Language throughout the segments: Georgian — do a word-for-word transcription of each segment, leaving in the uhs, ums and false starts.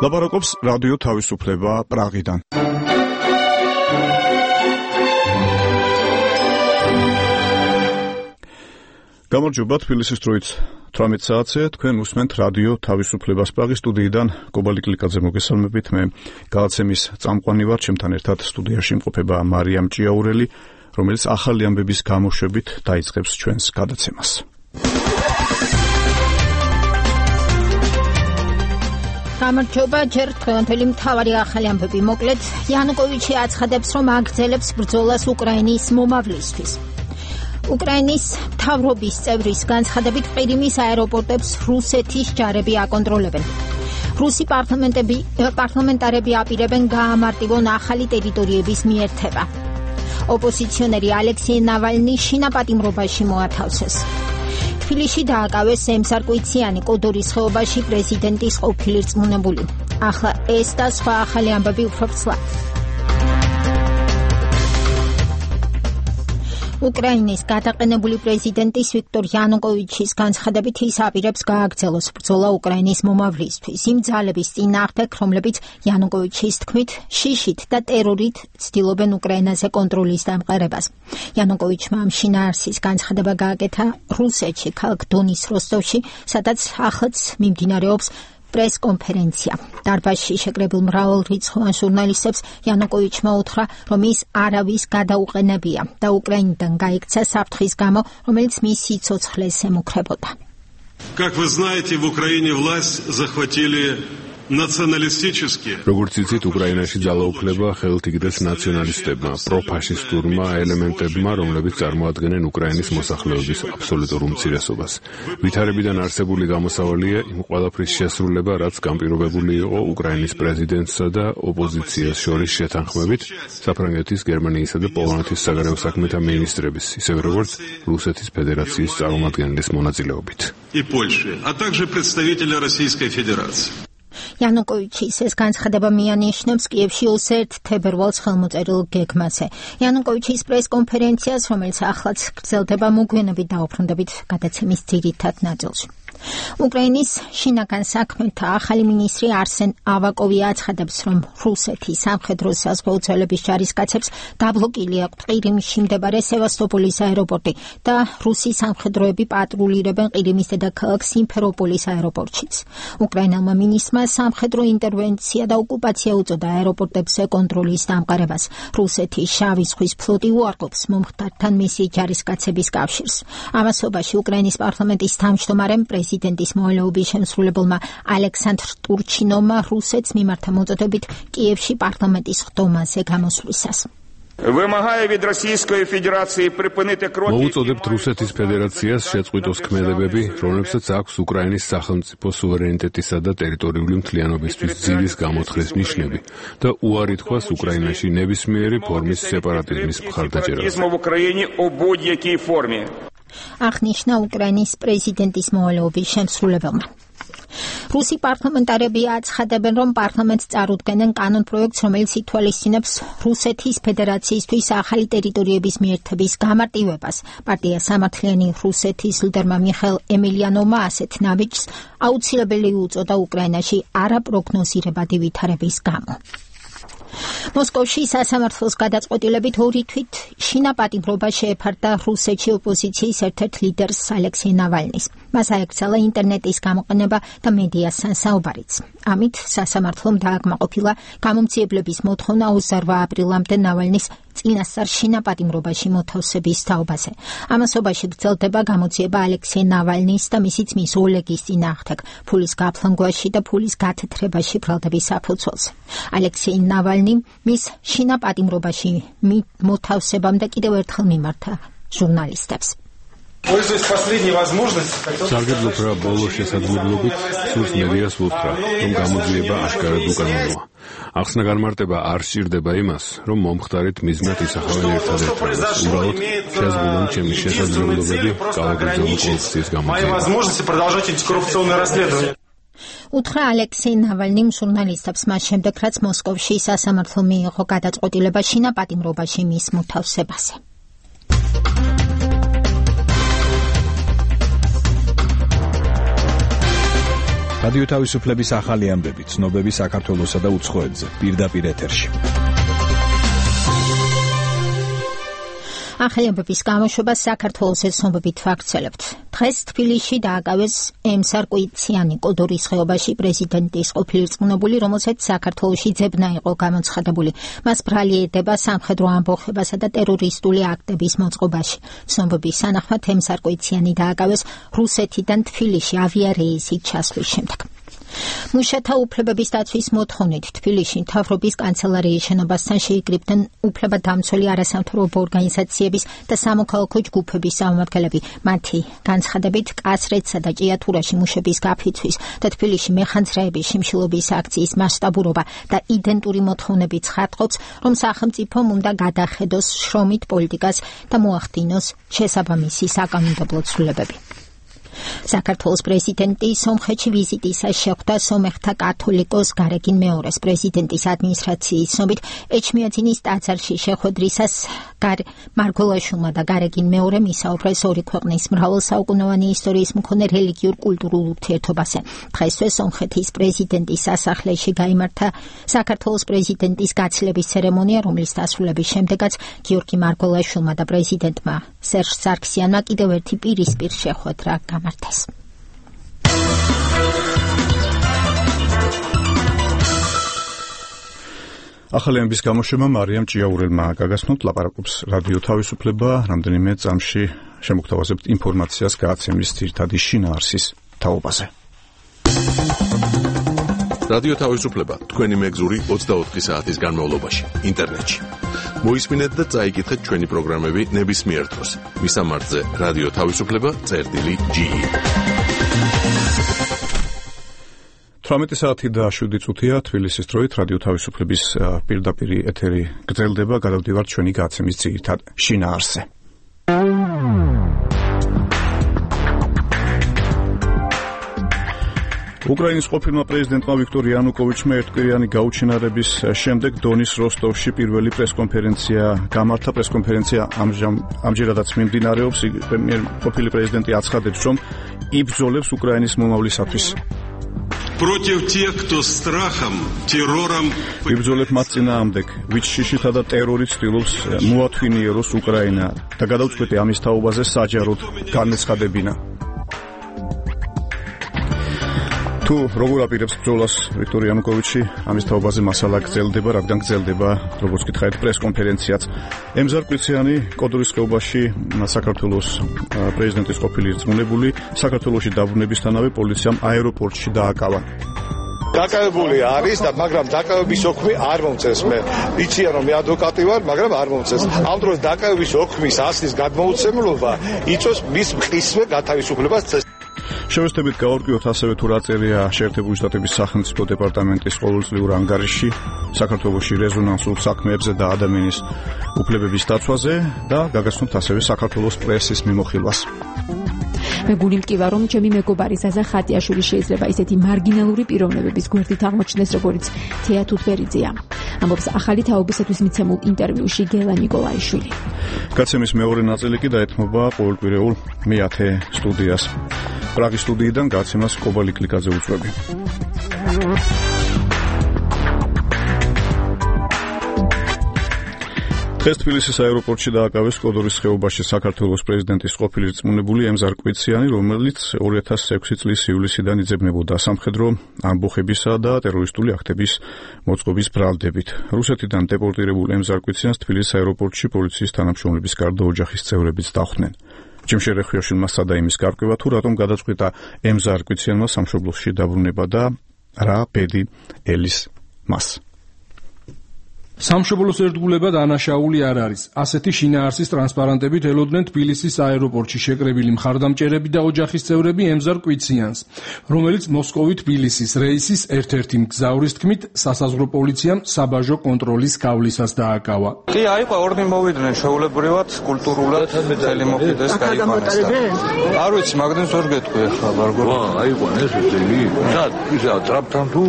ლაპარაკობს რადიო თავისუფლება პრაღიდან. გამარჯობა, თბილისის დროით თვრამეტ საათზე თქვენ უსმენთ რადიო თავისუფლებას პრაღის სტუდიიდან გობალი კლიკაძე მოგესალმებით. მე გადაცემის წამყვანი ვარ, ჩემთან ერთად სტუდიაში იმყოფება მარიამ ჭიაურელი, რომელიც ახალი ამბების გამოშვებით დაიწყებს ჩვენს გადაცემას. გამარჯობა, ჯერ თქვენთელი მთავარი ახალი ამბები მოკლედ. იანუკოვიჩი აცხადებს, რომ აგრძელებს ბრძოლას უკრაინის მომავლისთვის. უკრაინის მთავრობის წევრის განცხადებით ყირიმის აეროპორტებს რუსეთის ჯარები აკონტროლებენ. რუსი პარლამენტარები აპირებენ გაამარტივონ ახალი ტერიტორიების მიერთება. ოპოზიციონერი ალექსეი ნავალნი შინაპატიმრობაში მოათავსეს. თბილისში დააკავეს ემსარკვიციანი კოდორის ხეობაში პრეზიდენტის ყოფილი რწმუნებული. ახლა ეს და სხვა ახალი ამბები უფრო ცლად. უკრაინის გადაყენებული პრეზიდენტის ვიქტორ იანუკოვიჩის განცხადებით ის აპირებს გააგრძელოს ბრძოლა უკრაინის მომავლისთვის იმ ძალების წინააღმდეგ, რომლებიც იანუკოვიჩის თქმით შიშით და ტერორით ცდილობენ უკრაინაზე კონტროლის დამყარებას. იანუკოვიჩმა ამ შინაარსის განცხადება გააკეთა რუსეთში, ქალაქ დონის როსტოვში, სადაც ახლაც მიმდინარეობს პრეს-კონფერენცია. დარბაზში შეკრებილ მრავალრიცხოვან ჟურნალისტებს იანუკოვიჩმა უთხრა, რომ ის არავის გადაუყენებია და უკრაინიდან გაიქცა საფრთხის გამო, რომელიც მის სიცოცხლეს ემუქრებოდა. Как вы знаете, в Украине власть захватили националистические. როგორც იცით, უკრაინაში ძალაუფლება ხელთ იგდეს ნაციონალისტებმა, პროფაშისტურმა ელემენტებმა, რომლებიც წარმოადგენენ უკრაინის მოსახლეობის აბსოლუტურ უმცირესობას. ვითარებიდან არსებული გამოსავალია იმ ყველაფრის შესრულება, რაც განპირობებული იყო უკრაინის პრეზიდენტსა და ოპოზიციას შორის შეთანხმებით, საფრანგეთის, გერმანიისა და პოლონეთის საგარეო საქმეთა მინისტრების, ისევე როგორც რუსეთის ფედერაციის წარმომადგენლის მონაწილეობით. И Польши, а также представители Российской Федерации. იანუკოვიჩის ეს განცხადება მიანიშნებს კიევში ოცდაერთი თებერვალს ხელმოწერილ გეგმაზე. იანუკოვიჩის პრეს-კონფერენციას, რომელიც ახლაც გრძელდება, მოგვიანებით დაუბრუნდებით გადაცემის ძირითად ნაწილში. უკრაინის შინაგან საქმეთა ახალი მინისტრი არსენ ავაკოვი აცხადებს, რომ რუსეთის სამხედრო საზღვაო ძალების ჯარისკაცებს დაბლოკილი აქვთ ყირიმში მდებარე სევასტოპოლის აეროპორტი და რუსი სამხედროები პატრულირებენ ყირიმის დედაქალაქ სიმფეროპოლის აეროპორტშიც. უკრაინელმა მინისტრმა სამხედრო ინტერვენცია და ოკუპაცია უწოდა აეროპორტებზე კონტროლის დამყარებას. რუსეთის შავი ზღვის ფლოტი უარყოფს მომხდართან მისი ჯარისკაცების კავშირს. ამასობაში უკრაინის პარლამენტის თავმჯდომარემ პრეზიდენტის მოვალეობის შემსრულებელმა ალექსანდრ ტურჩინოვმა რუსეთს მიმართა მოწოდებით კიევში პარლამენტის ხდომაზე გამოსვლისას. მოუწოდებთ რუსეთის ფედერაციას შეწყვიტოს ქმედებები, რომლებსაც აქვს უკრაინის სახელმწიფო სუვერენიტეტისა და ტერიტორიული მთლიანობისთვის ძირის გამოთხრეს ნიშნები და უარი თქვას უკრაინაში ნებისმიერი ფორმის სეპარატიზმის მხარდაჭერას. აღნიშნა უკრაინის პრეზიდენტის მოვალეობის შემსრულებელმა. რუსი პარლამენტარები აცხადებენ, რომ პარლამენტს წარუდგენენ კანონპროექტს, რომელიც ითვალისწინებს რუსეთის ფედერაციისთვის ახალი ტერიტორიების მიერთების გამარტივებას. პარტია სამართლიანი რუსეთის ლიდერმა მიხაილ ემილიანოვმა ასეთ ნაბიჯს აუცილებელი უწოდა უკრაინაში არაპროგნოზირებადი ვითარების გამო. მოსკოვში სასამართლოს გადაწყვეტილებით ორი თვით შინაპატიმრობა შეეფარდა რუსეთში ოპოზიციის ერთ-ერთ ლიდერს ალექსეი ნავალნის. მას აეკრძალა ინტერნეტის გამოყენება და მედიასთან საუბარიც. ამით სასამართლომ დააკმაყოფილა გამომძიებლების მოთხოვნა ოცდაორ აპრილამდე ნავალნის წინასწარ შინაპატიმრობაში მოთავსების თაობაზე. ამასობაში გრძელდება გამოძიება ალექსეი ნავალნის და მისი ძმის ოლეგის წინააღმდეგ ფულის გაფლანგვაში და ფულის გათეთრებაში ბრალდების საფუძველზე. ალექსეი ნავალნი მის შინაპატიმრობაში მოთავსებამდე კიდევ ერთხელ მიმართა ჟურნალისტებს. სარგებლობ ბოლო შესაძლებლობით სურს მედიას უთხრა, რომ გამოძიება აშკარად უკანონოა. ახსნა განმარტება არ სჭირდება იმას, რომ მომხდარით მიზნად ისახავენ ერთადერთ რამს. უბრალოდ შეზღუდონ ჩემი შესაძლებლობები კალაგრძელო კორუფციის გამოძიებას. უთხრა ალექსეი ნავალნიმ ჟურნალისტებს მას შემდეგ, რაც მოსკოვში სასამართლო მიიღო გადაწყვეტილება შინაპატიმრობაში მის მოთავსებაზე. რადიო თავისუფლების ახალი ამბები, ცნობები საქართველოსა და უცხოეთზე, პირდაპირ ეთერში. ახალი ამბების გამოშვება საქართველოს ეთნობებით ვაგრძელებთ. დღეს თბილისში დააკავეს ემსარკვიციანი კოდორის ხეობაში პრეზიდენტის ყოფილი რწმუნებული, რომელსაც საქართველოში ძებნა იყო გამოცხადებული. მას ბრალი ედება სამხედრო ამბოხებასა და ტერორისტული აქტების მოწყობაში. ცნობების თანახმად ემსარკვიციანი დააკავეს რუსეთიდან თბილისში ავიარეისით ჩასვლის შემდეგ. მუშათა უფლებების დაცვის მოთხოვნით თბილისში მთავრობის კანცელარიის შენობასთან შეიკრიბნენ უფლებადამცველი არასამთავრობო ორგანიზაციების და სამოქალაქო ჯგუფების წარმომადგენლები. მათი განცხადებით კასრეთსა და ჭიათურაში მუშების გაფიცვის და თბილისში მეხანძრაების შიმშილობის აქციის მასშტაბურობა და იდენტური მოთხოვნები ცხადყოფს, რომ სახელმწიფომ უნდა გადახედოს შრომით პოლიტიკას და მოახდინოს შესაბამისი საკანონმდებლო ცვლილებები. საქართველოს პრეზიდენტი სომხეთში ვიზიტისას შეხვდა სომეხთა კათოლიკოს გარეგინ მეორეს პრეზიდენტის ადმინისტრაციის ცნობით ეჩმიაძინის ტაძარში შეხვედრისას მარგველაშვილმა და გარეგინ მეორემ ისაუბრეს ორი ქვეყნის მრავალსაუკუნოვანი ისტორიის მქონე რელიგიურ კულტურულ ურთიერთობაზე. დღესვე სომხეთის პრეზიდენტის სასახლეში გაიმართა საქართველოს პრეზიდენტის გაცილების ცერემონია, რომლის დასრულების შემდეგაც გიორგი მარგველაშვილმა და პრეზიდენტმა სერჟ სარქსიანმა კიდევ ერთი პირისპირ შეხვედრა გამართეს. ახალი ამბების გამოშვება მარიამ ჭიაურელმა გაგაცნოთ, ლაპარაკობს რადიო თავისუფლება, რამდენიმე წამში შემოგთავაზებთ ინფორმაციას გააცემის ძირითადი შინაარსის თაობაზე. რადიო თავისუფლება, თქვენი მეგზური ოცდაოთხი საათის განმავლობაში, ინტერნეტში. მოისმინეთ და წაიკითხეთ ჩვენი პროგრამები ნებისმიერ დროს. მისამართზე რადიო თავისუფლება წერტილი ჯი. თვრამეტი საათი და შვიდი წუთია თბილისის დროით რადიო თავისუფლების პირდაპირ ეთერი გრძელდება, გადავდივართ ჩვენი გაცემის ძირითად შინაარსზე. უკრაინის ყოფილმა პრეზიდენტმა ვიქტორ იანუკოვიჩმა ერთკვირიანი გაუჩინარების შემდეგ დონის როსტოვში პირველი პრესკონფერენცია გამართა. პრესკონფერენცია ამჯერადაც მიმდინარეობს. ყოფილი პრეზიდენტი აცხადებს, რომ იბრძოლებს უკრაინის მომავლისათვის. Против тех, кто страхом, террором... იბრძოლებ მათ წინააღმდეგ, ვინც შიშითა და ტერორით ცდილობს მოათვინიეროს უკრაინა და გადავწყვეტე ამის თაობაზე საჯაროდ განეცხადებინა. თუ როგორ აპირებს ბრძოლას ვიქტორ იანუკოვიჩი, ამის თაობაზე მასალა გრძელდება, რადგან გრძელდება, როგორც გითხარით, პრესკონფერენციაც. ემზარკვიციანი კოდორის ხეობაში საქართველოს პრეზიდენტის ყოფილი რწმუნებული საქართველოში დაბრუნებისთანავე პოლიციამ აეროპორტში დააკავა. დაკავებული არის და მაგრამ დაკავების ოქმი არ მომწეს. მე იციან რომ მე ადვოკატი ვარ, მაგრამ არ მომწეს. ამ დროს დაკავების ოქმის ასლის გადმოუცემლობა იწვევს მის მყისვე გათავისუფლებას. შევესწრებით გავარკვიოთ ასევე თუ რა წერია შეერთებული შტატების სახელმწიფო დეპარტამენტის ყოველწლიურ ანგარიშში საქართველოში რეზონანსულ საქმეებზე და ადამიანის უფლებების დაცვაზე და გაგაცნოთ ასევე საქართველოს პრესის მიმოხილვას. მე გული მტკივა, რომ ჩემი მეგობარი ზაზა ხატიაშვილი შეიძლება ისეთი მარგინალური პიროვნებების გვერდით აღმოჩნდეს, როგორც თეა თუთბერიძეა. ამბობს ახალი თაობისათვის მიცემულ ინტერვიუში გელა ნიკოლაიშვილი. გაცემის მეორე ნაწილი კი დაეთმობა ყოველკვირეულ მეათე სტუდიას. პრაღის სტუდიიდან გაცემას კობალი კლიკაძე უწვევი. დღეს თბილისის აეროპორტში დააკავეს კოდორის ხეობაში საქართველოს პრეზიდენტის ყოფილი რწმუნებული ემზარკვიციანი, რომელიც ორი ათას ექვსი წლის ივლისიდან იძებნებოდა სამხედრო ამბოხებისა და ტერორისტული აქტების მოწყობის ბრალდებით. რუსეთიდან დეპორტირებულ ემზარკვიციანს თბილისის აეროპორტში პოლიციის თანამშრომლების გარდა ოჯახის წევრებიც დახვდნენ. ჯიმშე რეხიაშვილმა სცადა იმის გარკვევა, თუ რატომ გადაწყვიტა ემზარკვიციანმა სამშობლოში დაბრუნება და რა ბედი ელის მას. სამშობლოს ერთგულება დანაშაული არ არის. ასეთი შინაარსის ტრანსპარანტებით ელოდნენ თბილისის აეროპორტში შეკრებილი მხარდამჭერები და ოჯახის წევრები ემზარკვიციანს, რომელიც მოსკოვი თბილისის რეისის ერთ-ერთი მგზავრის თქმით სასაზღვრო პოლიციამ საბაჟო კონტროლის გავლისას დააკავა. კი, აიყო ორნი მოვიდნენ შეულებრივად, კულტურულად ხელი მოხდეს გაიყვანეს. არ ვიცი, მაგდენ ზორ გეტყვი ახლა ვარგო. აიყვანეს ესენი. სად, ისა ტრაპთან თუ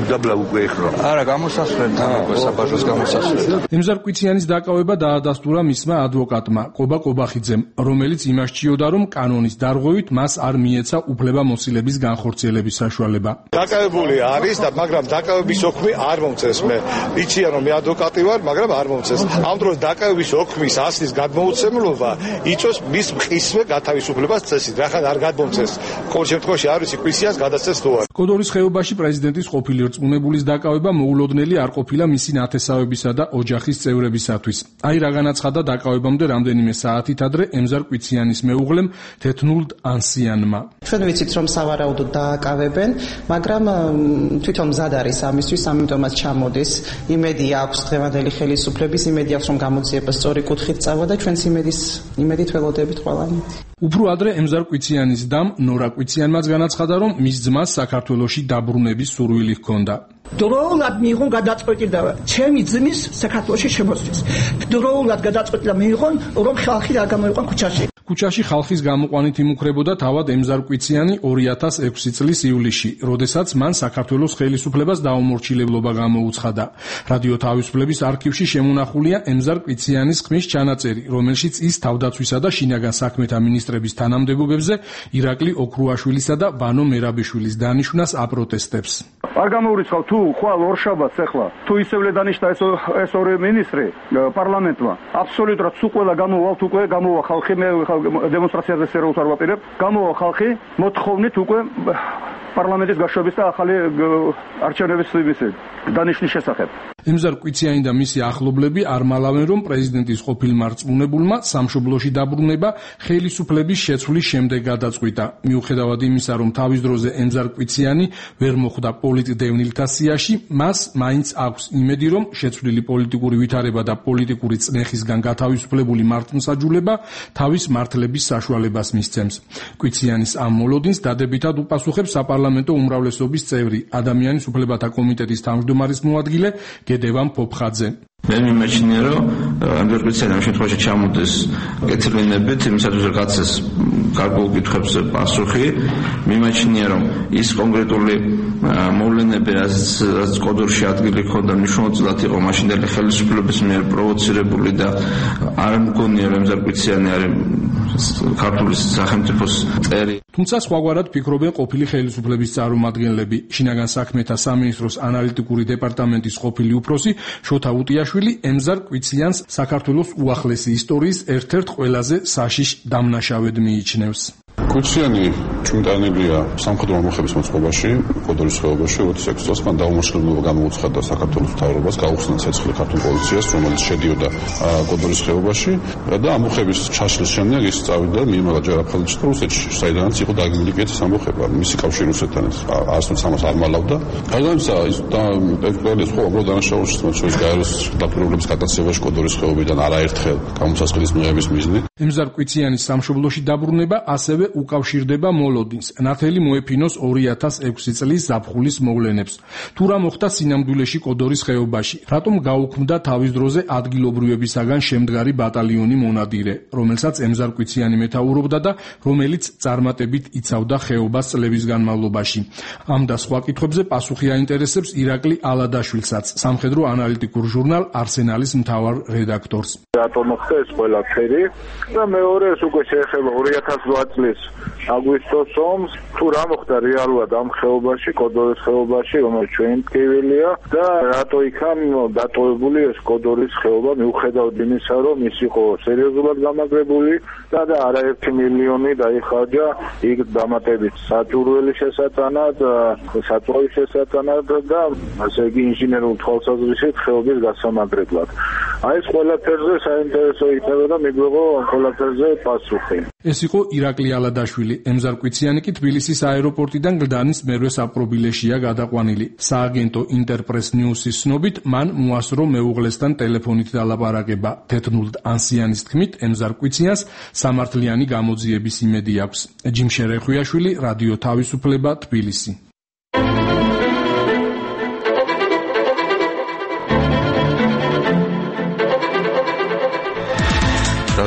დამბლა უკვე ეხლა. არა, გამოსასვლელთან უკვე საბაჟოს გამოსახულება. ემზარ კვიციანის დაკავება დაადასტურა მისმა ადვოკატმა კობა კობახიძემ, რომელიც იმასჭიოდა, რომ კანონის დარღვევით მას არ მიეცა უფლებამოსილების განხორციელების საშუალება. დაკავებული არის და მაგრამ დაკავების ოქმი არ მომწეს მე. იციან რომ მე ადვოკატი ვარ, მაგრამ არ მომწეს. ამ დროს დაკავების ოქმის ასლის გადმოუცემლობა იწოს მის მყისვე გათავისუფლებას წესით. რახან არ გადმომწეს. ყოველ შემთხვევაში არ ვიცი კვიციანს გადასცეს თუ არა. კოდორის ხეობაში პრეზიდენტის ყოფილი რწმუნებულის დაკავება მოულოდნელი არ ყოფილა მისი ნათესავებისა და ოჯახის წევრებისათვის. აი რა განაცხადა დაკავებამდე რამდენიმე საათით ადრე ემზარ კვიციანის მეუღლემ თეთნულდ ანსიანმა. ჩვენ ვიცით რომ სავარაუდოდ დააკავებენ, მაგრამ თვითონ მზად არის ამისთვის, ამიტომაც ჩამოდის. იმედი აქვს დღევანდელი ხელისუფლების, იმედი აქვს რომ გამოძიება სწორი კუთხით წავა და ჩვენს იმედის იმედით ველოდებით ყველანი. უფრო ადრე ემზარ კვიციანის დამ ნორა კვიციანმაც განაცხადა, რომ მის ძმას საქართველოში დაბრუნების სურვილი ჰქონდა. დროულად მიიღონ გადაწყვეტილება ჩემი ძმის საქართველოში შემოსვლის. დროულად გადაწყვეტილება მიიღონ, რომ ხალხი არ გამოიყვან ქუჩაში. ქუჩაში ხალხის გამოყვანით იმუქრებოდა თავად ემზარ კვიციანი ორი ათას ექვსი წლის ივლისში, როდესაც მან საქართველოს ხელისუფლებას დაუმორჩილებლობა გამოუცხადა. რადიო თავისუფლების არქივში შემონახულია ემზარ კვიციანის ხმის ჩანაწერი, რომელშიც ის თავდაცვისა და შინაგან საქმეთა მინისტრების თანამდებობებზე ირაკლი ოქრუაშვილისა და ბანო მერაბიშვილის დანიშვნას აპროტესტებს. არ გამოურიცხავ თუ ხვალ ორშაბათს ახლა თუ ისევლე დანიშნა ეს ეს ორი მინისტრი პარლამენტმა აბსოლუტურად თუ ყველა გამოვალთ უკვე გამოვა ხალხი მე დემონსტრაციაზე სერიოზულად არ ვაპირებ გამოვა ხალხი მოთხოვნით უკვე პარლამენტის გაშვების და ახალი არჩევნების დანიშნის შესახებ. ემზარ კვიციანი და მისი ახლობლები არ მალავენ, რომ პრეზიდენტის ყოფილმა რწმუნებულმა სამშობლოში დაბრუნება ხელისუფლების შეცვლის შემდეგ გადაწყვიტა. მიუხედავად იმისა, რომ თავის დროზე ემზარ კვიციანი ვერ მოხვდა პოლიტდევნილთა სიაში, მას მაინც აქვს იმედი, რომ შეცვლილი პოლიტიკური ვითარება და პოლიტიკური წნეხისგან გათავისუფლებული მართლმსაჯულება თავის მართლების საშუალებას მისცემს. კვიციანის ამ მოლოდინს დადებითად უპასუხებს საპარლამენტო უმრავლესობის წევრი, ადამიანის უფლებათა კომიტეტის თავმჯდომარის მოადგილე გედევან ფოფხაძე. მე მიმაჩნია, რომ ემზარ კვიციანი ამ შემთხვევაში ჩამოდეს კეთილინებით, იმისათვის რომ გაცეს გარკვეულ კითხვებს პასუხი. მიმაჩნია, რომ ის კონკრეტული მოვლენები, რაც კოდორში ადგილი ჰქონდა, მნიშვნელოვნად იყო მაშინდელი ხელისუფლების მიერ პროვოცირებული და არ მგონია, რომ ემზარ კვიციანი არის ქართული სახელმწიფოს წერი. თუმცა სხვაგვარად ფიქრობენ ყოფილი ხელისუფლების წარმომადგენლები. შინაგან საქმეთა სამინისტროს ანალიტიკური დეპარტამენტის ყოფილი უფროსი შოთა უტიაშვილი ემზარ კვიციანს საქართველოს უახლესი ისტორიის ერთ-ერთ ყველაზე საშიშ დამნაშავედ მიიჩნევს. კვიციანი ჭვიმტანილია სამხედრო ამოხების მოწყობაში, კოდორის ხეობაში, როდის ექვსი წელს მან დაუმორჩილებლობა გამოუცხადა საქართველოს მთავრობას, გაუხსნა ცეცხლი ქართულ პოლიციას, რომელიც შედიოდა კოდორის ხეობაში და ამოხების ჩაშლის შემდეგ ის წავიდა მიემაღლა ჯარაფხალეთში და რუსეთში, საიდანაც იყო დაგმილი კეთის ამოხება. მისი კავშირი რუსეთთან არასდროს ამას არ მალავდა. გარდა ამისა, ის და ეკვიპარეს ხო უბრალოდ დანაშაულში მოწვევის გაეროს დაპირებულების გადაცემაში კოდორის ხეობიდან არაერთხელ გამოსასყიდის მიღების მიზნით. ემზარ კვიციანის სამშობლოში დაბრუნება ასევე უკავშირდება მოლოდინს. ნათელი მოეფინოს ორი ათას ექვსი წლის ზაფხულის მოვლენებს. თუ რა მოხდა სინამდვილეში კოდორის ხეობაში? რატომ გაუქმდა თავის დროზე ადგილობრივებისაგან შემდგარი ბატალიონი მონადირე, რომელსაც ემზარ კვიციანი მეთაურობდა და რომელიც წარმატებით იცავდა ხეობას წლების განმავლობაში? ამ და სხვა კითხვებზე პასუხი აინტერესებს ირაკლი ალადაშვილსაც, სამხედრო ანალიტიკურ ჟურნალ არსენალის მთავარ რედაქტორს. რატომ მოხდა ეს ყველაფერი? და მეორე ეს უკვე შეეხება ორი ათას ოთხ წლის აგვისტოს ომს, თუ რა მოხდა რეალურად ამ ხეობაში, კოდორის ხეობაში, რომელიც ჩვენი ტკივილია და რატო იქან დატოვებული ეს კოდორის ხეობა, მიუხედავად იმისა, რომ ის იყო სერიოზულად გამაგრებული და და არაერთი მილიონი დაიხარჯა იქ დამატებით საჭურველი შესატანად, საწვავის შესატანად და ასე იგი ინჟინერულ თვალსაზრისით ხეობის გასამაგრებლად. აი ეს ყველაფერზე საინტერესო იქნება და მიგვიღო ყველაფერზე პასუხი. ეს იყო ირაკლი ალადაშვილი. ემზარ კვიციანი კი თბილისის აეროპორტიდან გლდანის მერვე საპყრობილეშია გადაყვანილი. სააგენტო ინტერპრეს ნიუსის ცნობით, მან მოასწრო მეუღლესთან ტელეფონით დალაპარაკება. თეთნულდ ანსიანის თქმით, ემზარ კვიციანს სამართლიანი გამოძიების იმედი აქვს. ჯიმშერე ხვიაშვილი, რადიო თავისუფლება, თბილისი.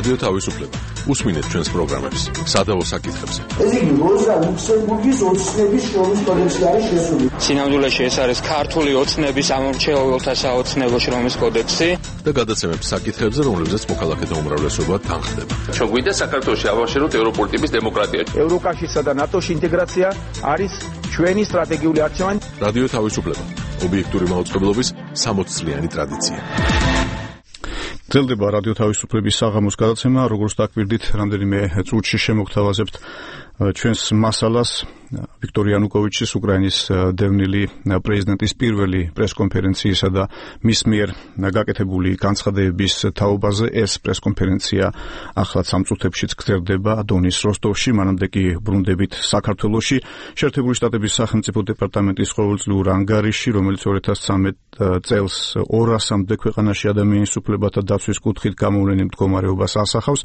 რადიო თავისუფლება. უსმინეთ ჩვენს პროგრამებს. სადავო საკითხებზე. ეს იგი როზა ლუქსემბურგის ოცნების შრომის კოდექსი არის შესული. სინამდვილეში ეს არის ქართული ოცნების ამორჩეულთა საოცნებო შრომის კოდექსი და გადაცემებს საკითხებზე, რომლებზეც მოქალაქეთა უმრავლესობა თანხდება. ჩვენ გვინდა საქართველოში ავაშენოთ ევროპული ტიპის დემოკრატია. ევროკავშირსა და ნატოში ინტეგრაცია არის ჩვენი სტრატეგიული არჩევანი. რადიო თავისუფლება. ობიექტური მაუწყებლობის სამოც წლიანი ტრადიცია. გრძელდება რადიო თავისუფლების საღამოს გადაცემა, როგორც დაკვირდით, რამდენიმე წუთში შემოგთავაზებთ ჩვენს მასალას ვიქტორ იანუკოვიჩის უკრაინის დევნილი პრეზიდენტის პირველი პრესკონფერენციისა და მის მიერ გაკეთებული განცხადებების თაობაზე. ეს პრესკონფერენცია ახლაც სამ წუთებშიც გრძელდება დონის როსტოვში, მანამდე კი ბრუნდებით საქართველოში. შეერთებული შტატების სახელმწიფო დეპარტამენტის ყოველწლიურ ანგარიში, რომელიც ორი ათას ცხრამეტ წელს ორასამდე ქვეყანაში ადამიანის უფლებათა დაცვის კუთხით გამოვლენილ მდგომარეობას ასახავს.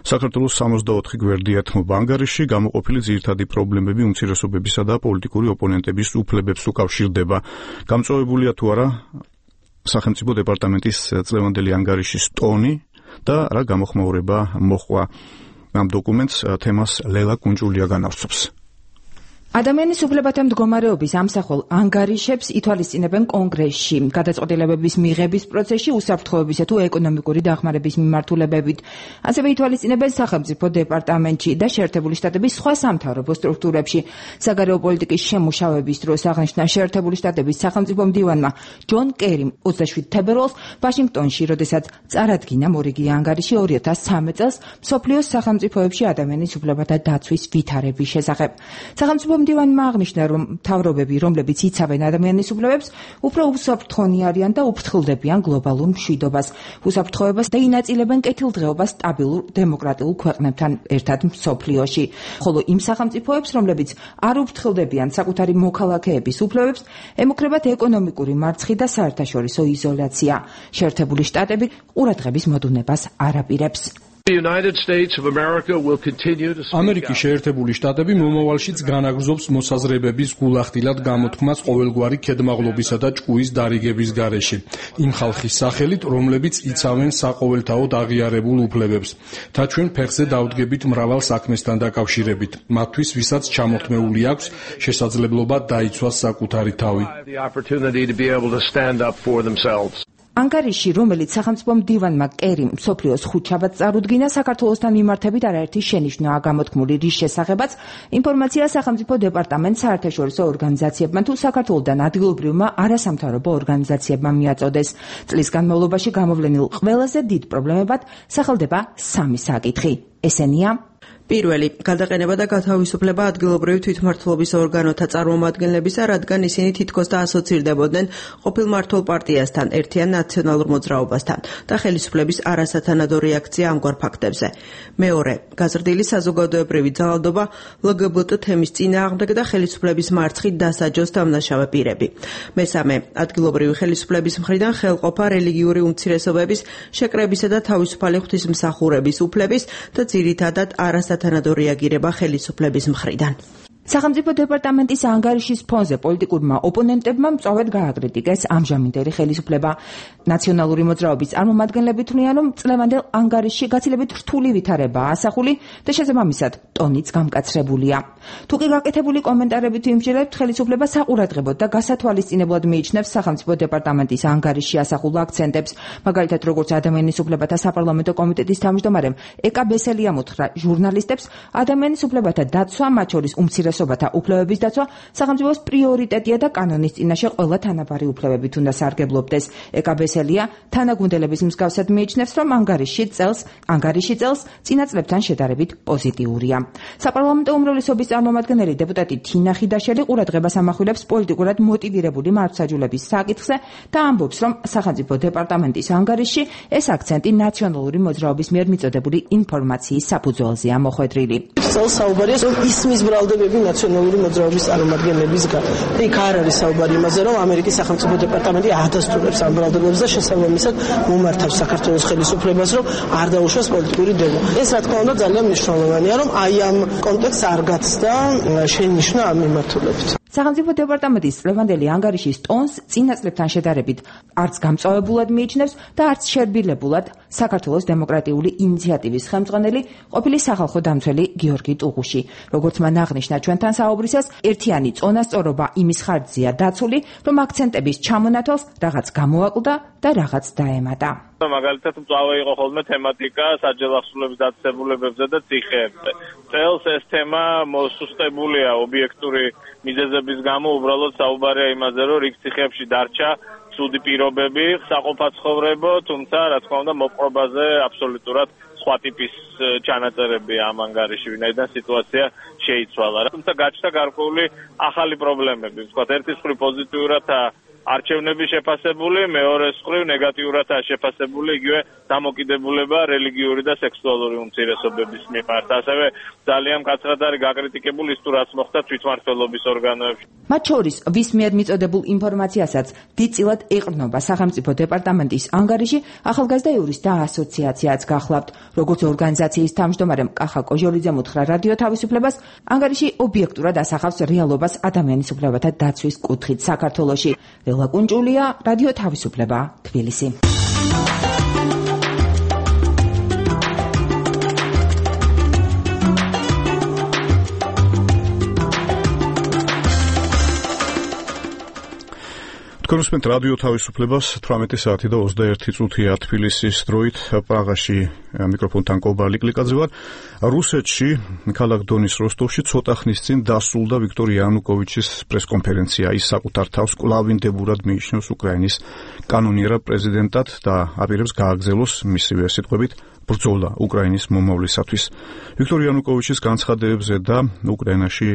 საქართველოს სამოცდაოთხი გვერდიათმობა ანგარიში გამოყოფილი ძირითადი პრობლემები უმცირესობებისა და პოლიტიკური ოპონენტების უფლებებს უკავშირდება. გამწვავებულია თუ არა სახელმწიფო დეპარტამენტის წლევანდელი ანგარიშის ტონი და რა გამოხმაურება მოჰყვა ამ დოკუმენტს, თემას ლელა კუნჭულია განავრცობს. ადამიანის უფლებათა მდგომარეობის ამსახველ ანგარიშებს ითვალისწინებენ კონგრესში, გადაწყვეტილებების მიღების პროცესში უსაფრთხოებისა თუ ეკონომიკური დახმარების მიმართულებებით. ასევე ითვალისწინებენ სახელმწიფო დეპარტამენტში და შეერთებული შტატების სხვა სამთავრობო სტრუქტურებში. საგარეო პოლიტიკის შემუშავების დროს აღნიშნა შეერთებული შტატების სახელმწიფო მდივანმა ჯონ კერიმ ოცდაშვიდ თებერვალს ვაშინგტონში, როდესაც წარადგინა მორიგი ანგარიში ორი ათას ცხრამეტ წელს მსოფლიოს სახელმწიფოებში ადამიანის უფლებათა დაცვის ვითარების შესახებ. სახელმწიფო მდივანმა აღნიშნა, რომ მთავრობები, რომლებიც იცავენ ადამიანის უფლებებს, უფრო უსაფრთხონი არიან და უფრთხილდებიან გლობალურ მშვიდობას, უსაფრთხოებას და ინაწილებენ კეთილდღეობას სტაბილურ დემოკრატიულ ქვეყნებთან ერთად მსოფლიოში. ხოლო იმ სახელმწიფოებს, რომლებიც არ უფრთხილდებიან საკუთარი მოქალაქეების უფლებებს, ემუქრებათ ეკონომიკური მარცხი და საერთაშორისო იზოლაცია. შეერთებული შტატები ყურადღების მოდუნებას არ აპირებს. ამერიკის შეერთებული შტატები მომავალშიც განაგრძობს მოსაზრებების გულახდილად გამოთქმას ყოველგვარი ქედმაღლობისა და ჭკუის დარიგების გარეშე, იმ ხალხის სახელით, რომლებიც იცავენ საყოველთაოდ აღიარებულ უფლებებს. და ჩვენ ფეხზე დავდგებით მრავალ საქმესთან დაკავშირებით, მათთვის, ვისაც ჩამოთმეული აქვს შესაძლებლობა დაიცვას საკუთარი თავი. ანგარიში, რომელიც სახელმწიფო მდივანმა კერიმ მსოფლიოს ხუთშაბათს წარუდგინა, საქართველოსთან მიმართებით არაერთი შენიშვნაა გამოთქმული, რის შესახებაც ინფორმაცია სახელმწიფო დეპარტამენტს, საერთაშორისო ორგანიზაციებმა თუ საქართველოსთან ადგილობრივმა არასამთავრობო ორგანიზაციებმა მიაწოდეს. წლის განმავლობაში გამოვლენილ ყველაზე დიდ პრობლემებად სახელდება სამი საკითხი. ესენია: პირველი, გადაყენება და გათავისუფლება ადგილობრივი თვითმმართველობის ორგანოთა წარმომადგენლებისა, რადგან ისინი თითქოს დაასოცირდებოდნენ ყოფილ მმართველ პარტიასთან, ერთიან ნაციონალურ მოძრაობასთან და ხელისუფლების არასათანადო რეაქცია ამგვარ ფაქტებზე. მეორე, გაზრდილი საზოგადოებრივი ძალადობა ლგბტ თემის წინააღმდეგ და ხელისუფლების მარცხით დასაჯოს დამნაშავე პირები. მესამე, ადგილობრივი ხელისუფლების მხრიდან ხელყოფა რელიგიური უმცირესობების შეკრებისა და თავისუფალი ღვთისმსახურების უფლების და ძირითადად არასათანადო თანადო რეაგირება ხელისუფლების მხრიდან. სახელმწიფო დეპარტამენტის ანგარიშის ფონზე პოლიტიკურმა ოპონენტებმა მწვავედ გააკრიტიკეს ამჟამინდელი ხელისუფლება. ნაციონალური მოძრაობის წარმომადგენლები თვლიან, რომ წლევანდელ ანგარიშში გაცილებით რთული ვითარებაა ასახული და შესაბამისად ტონიც გამკაცრებულია. თუ კი გაკეთებული კომენტარებით ვიმსჯელებთ, ხელისუფლება საყურადღებოდ და გასათვალისწინებლად მიიჩნევს სახელმწიფო დეპარტამენტის ანგარიშში ასახულ აქცენტებს. მაგალითად, როგორც ადამიანის უფლებათა საპარლამენტო კომიტეტის თავმჯდომარემ ეკა ბესელიამ უთხრა ჟურნალისტებს, ადამიანის უფლებათა დაცვა, მათ შორის უმცირესობათა უფლებების დაცვა სახელმწიფოს პრიორიტეტია და კანონის წინაშე ყველა თანაბარი უფლებებით უნდა სარგებლობდეს. ეკა ბესელია თანაგუნდელების მსგავსად მიიჩნევს, რომ ანგარიში წელს ანგარიში წელს წინა წლებთან შედარებით პოზიტიურია. საპარლამენტო უმრავლესობის წარმომადგენელი დეპუტატი თინა ხიდაშელი ყურადღებას ამახვილებს პოლიტიკურად მოტივირებული მართლმსაჯულების საკითხზე და ამბობს, რომ სახელმწიფო დეპარტამენტის ანგარიში ეს აქცენტი ნაციონალური მოძრაობის მიერ მიწოდებული ინფორმაციის საფუძველზეა მოხვედრილი. წელს საუბარია, რომ ისმის ბრალდებები ნაციონალური მოძრაობის წარმომადგენლებისგან. იქ არ არის საუბარი იმაზე, რომ ამერიკის სახელმწიფო დეპარტამენტი ადასტურებს ამ ბრალდებებს და შესაბამისად მომართავს საქართველოს ხელისუფლებას, რომ არ დაუშვას პოლიტიკური დემა. ეს რა თქმა უნდა ძალიან მნიშვნელოვანია, რომ აი ამ კონტექსტს არ გაცდა შენიშვნა ამ მიმართულებით. სახელმწიფო დეპარტამენტის წლევანდელი ანგარიშის ტონს წინა წლებთან შედარებით არც გამწვავებულად მიიჩნევს და არც შერბილებულად საქართველოს დემოკრატიული ინიციატივის ხელმძღვანელი ყოფილი სახალხო დამცველი გიორგი ტუღუში. როგორც მან აღნიშნა ჩვენთან საუბრისას, ერთიანი წონასწორობა იმის ხარჯზეა დაცული, რომ აქცენტების ჩამონათვალს რაღაც გამოაკლდა და რაღაც დაემატა. მაგალითად მწვავე იყო ხოლმე თემატიკა საჯარო ახსულების დაწესებულებებზე და ციხეებზე. წელს ეს თემა მოსუსტებულია ობიექტური მიზეზების გამო, უბრალოდ საუბარია იმაზე, რომ რიგ ციხეებში დარჩა ცუდი პირობები, საყოფაცხოვრებო, თუმცა რა თქმა უნდა მოპყრობაზე აბსოლუტურად სხვა ტიპის ჩანაწერები ამ ანგარიში, ვინაიდან სიტუაცია შეიცვალა. თუმცა გაჩნდა გარკვეული ახალი პრობლემები. ვთქვათ, ერთის მხრივ პოზიტიურადაა არჩევნების შეფასებული, მეორეს მხრივ ნეგატიურადაა შეფასებული იგივე დამოკიდებულება რელიგიური და სექსუალური უმცირესობების მიმართ. ასევე ძალიან მკაცრად არის გაკრიტიკებული ის თუ რაც მოხდა თვითმმართველობის ორგანოებში. მათ შორის ვის მიერ მიწოდებულ ინფორმაციასაც დიდწილად ეყრდნობა სახელმწიფო დეპარტამენტის ანგარიში, ახალგაზრდა იურისტთა ასოციაციაც გახლავთ. როგორც ორგანიზაციის თავმჯდომარემ კახა კოჟოლიძემ უთხრა რადიო თავისუფლებას, ანგარიში ობიექტურად ასახავს რეალობას ადამიანის უფლებათა დაცვის კუთხით საქართველოში. ლელა კუნჭულია, რადიო თავისუფლება, თბილისი. კონსპენთ რადიო თავისუფლებას თვრამეტი საათი და ოცდაერთი წუთია თბილისის დროით. პრაღაში მიკროფონთან კობალი კლიკაძე ვარ. რუსეთში ქალაქ დონის როსტოვში ცოტა ხნის წინ დასრულდა ვიქტორ იანუკოვიჩის პრესკონფერენცია. ის საკუთარ თავს კვლავინდებურად მიიჩნევს უკრაინის კანონიერად პრეზიდენტად და აპირებს გააგრძელოს მისივე სიტყვებით ბრძოლა უკრაინის მომავლისათვის. ვიქტორ იანუკოვიჩის განცხადებებზე და უკრაინაში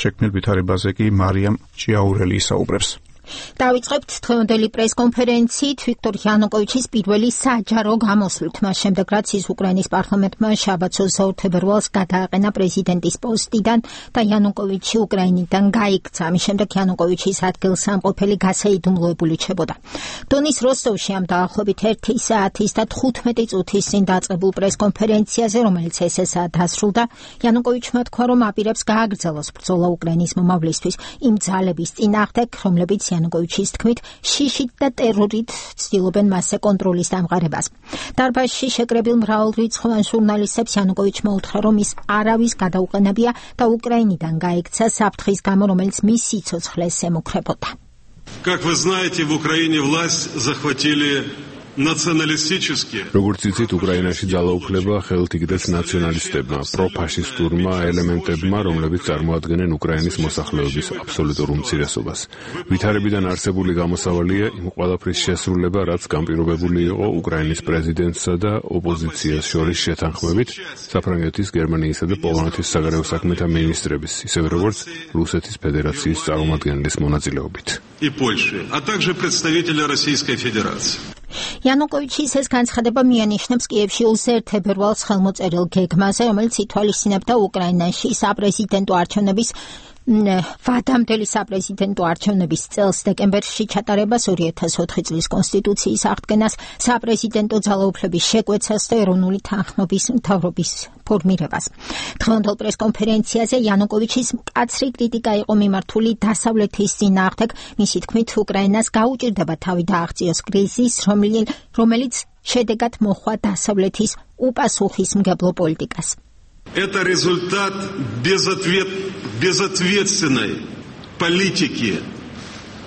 შექმნილ ვითარებაზე კი მარიამ ჭიაურელი ისაუბრებს. დავიწყებთ დღევანდელი პრესკონფერენციით ვიქტორ იანუკოვიჩის პირველი საჯარო გამოსვლით, მას შემდეგ რაც ის უკრაინის პარლამენტმა შაბათს ოცდაორ თებერვალს გადააყენა პრეზიდენტის პოსტიდან და იანუკოვიჩი უკრაინიდან გაიქცა. ამის შემდეგ იანუკოვიჩის ადგილსამყოფელი გასაიდუმლოებული ჩებოდა. დონის როსტოვში ამ დაახლოებით ერთი საათის და თხუთმეტი წუთის წინ დაწყებულ პრესკონფერენციაზე, რომელიც ესესაა დასრულდა, იანუკოვიჩმა თქვა, რომ აპირებს გააგრძელოს ბრძოლა უკრაინის მომავლისთვის იმ ძალების წინააღმდეგ, რომლებიც იანუკოვიჩის თქმით შიშით და ტერორით ცდილობენ მასზე კონტროლის დამყარებას. დარბაზში შეკრებილ მრავალრიცხოვან ჟურნალისტებს იანუკოვიჩმა უთხრა, რომ ის არავის გადაუყენებია და უკრაინიდან გაიქცა საფრთხის გამო, რომელიც მის სიცოცხლეს ემუქრებოდა. Как вы знаете, в Украине власть захватили националистические. როგორც იცით, უკრაინაში ძალაუფლება ხელთ იგდეს ნაციონალისტებმა, პროფაშისტურმა ელემენტებმა, რომლებიც წარმოადგენენ უკრაინის მოსახლეობის აბსოლუტურ უმცირესობას. ვითარებიდან არსებული გამოსავალია იმ ყველაფრის შესრულება, რაც განპირობებული იყო უკრაინის პრეზიდენტსა და ოპოზიციას შორის შეთანხმებით საფრანგეთის, გერმანიისა და პოლონეთის საგარეო საქმეთა მინისტრების, ისევე როგორც რუსეთის ფედერაციის წარმომადგენლის მონაწილეობით. И Польши, а также представители Российской Федерации. იანუკოვიჩის ეს განცხადება მიანიშნებს კიევში ოცდაერთ თებერვალს ხელმოწერილ გეგმაზე, რომელიც ითვალისწინებდა უკრაინაში საპრეზიდენტო არჩევნების ვადამდელი საპრეზიდენტო არჩევნების წელს დეკემბერში ჩატარებას, ორი ათას ოთხი წლის კონსტიტუციის აღდგენას, საპრეზიდენტო ძალაუფლების შეკვეცას და ეროვნული თანხმობის მთავრობის ფორმირებას. დღევანდელ პრესკონფერენციაზე იანუკოვიჩის მკაცრი კრიტიკა იყო მიმართული დასავლეთის წინააღმდეგ, მისი თქმით, უკრაინას გაუჭირდება თავი დააღწიოს კრიზისს, რომელიც შედეგად მოჰყვა დასავლეთის უპასუხისმგებლო პოლიტიკას. Это результат безответ... безответственной политики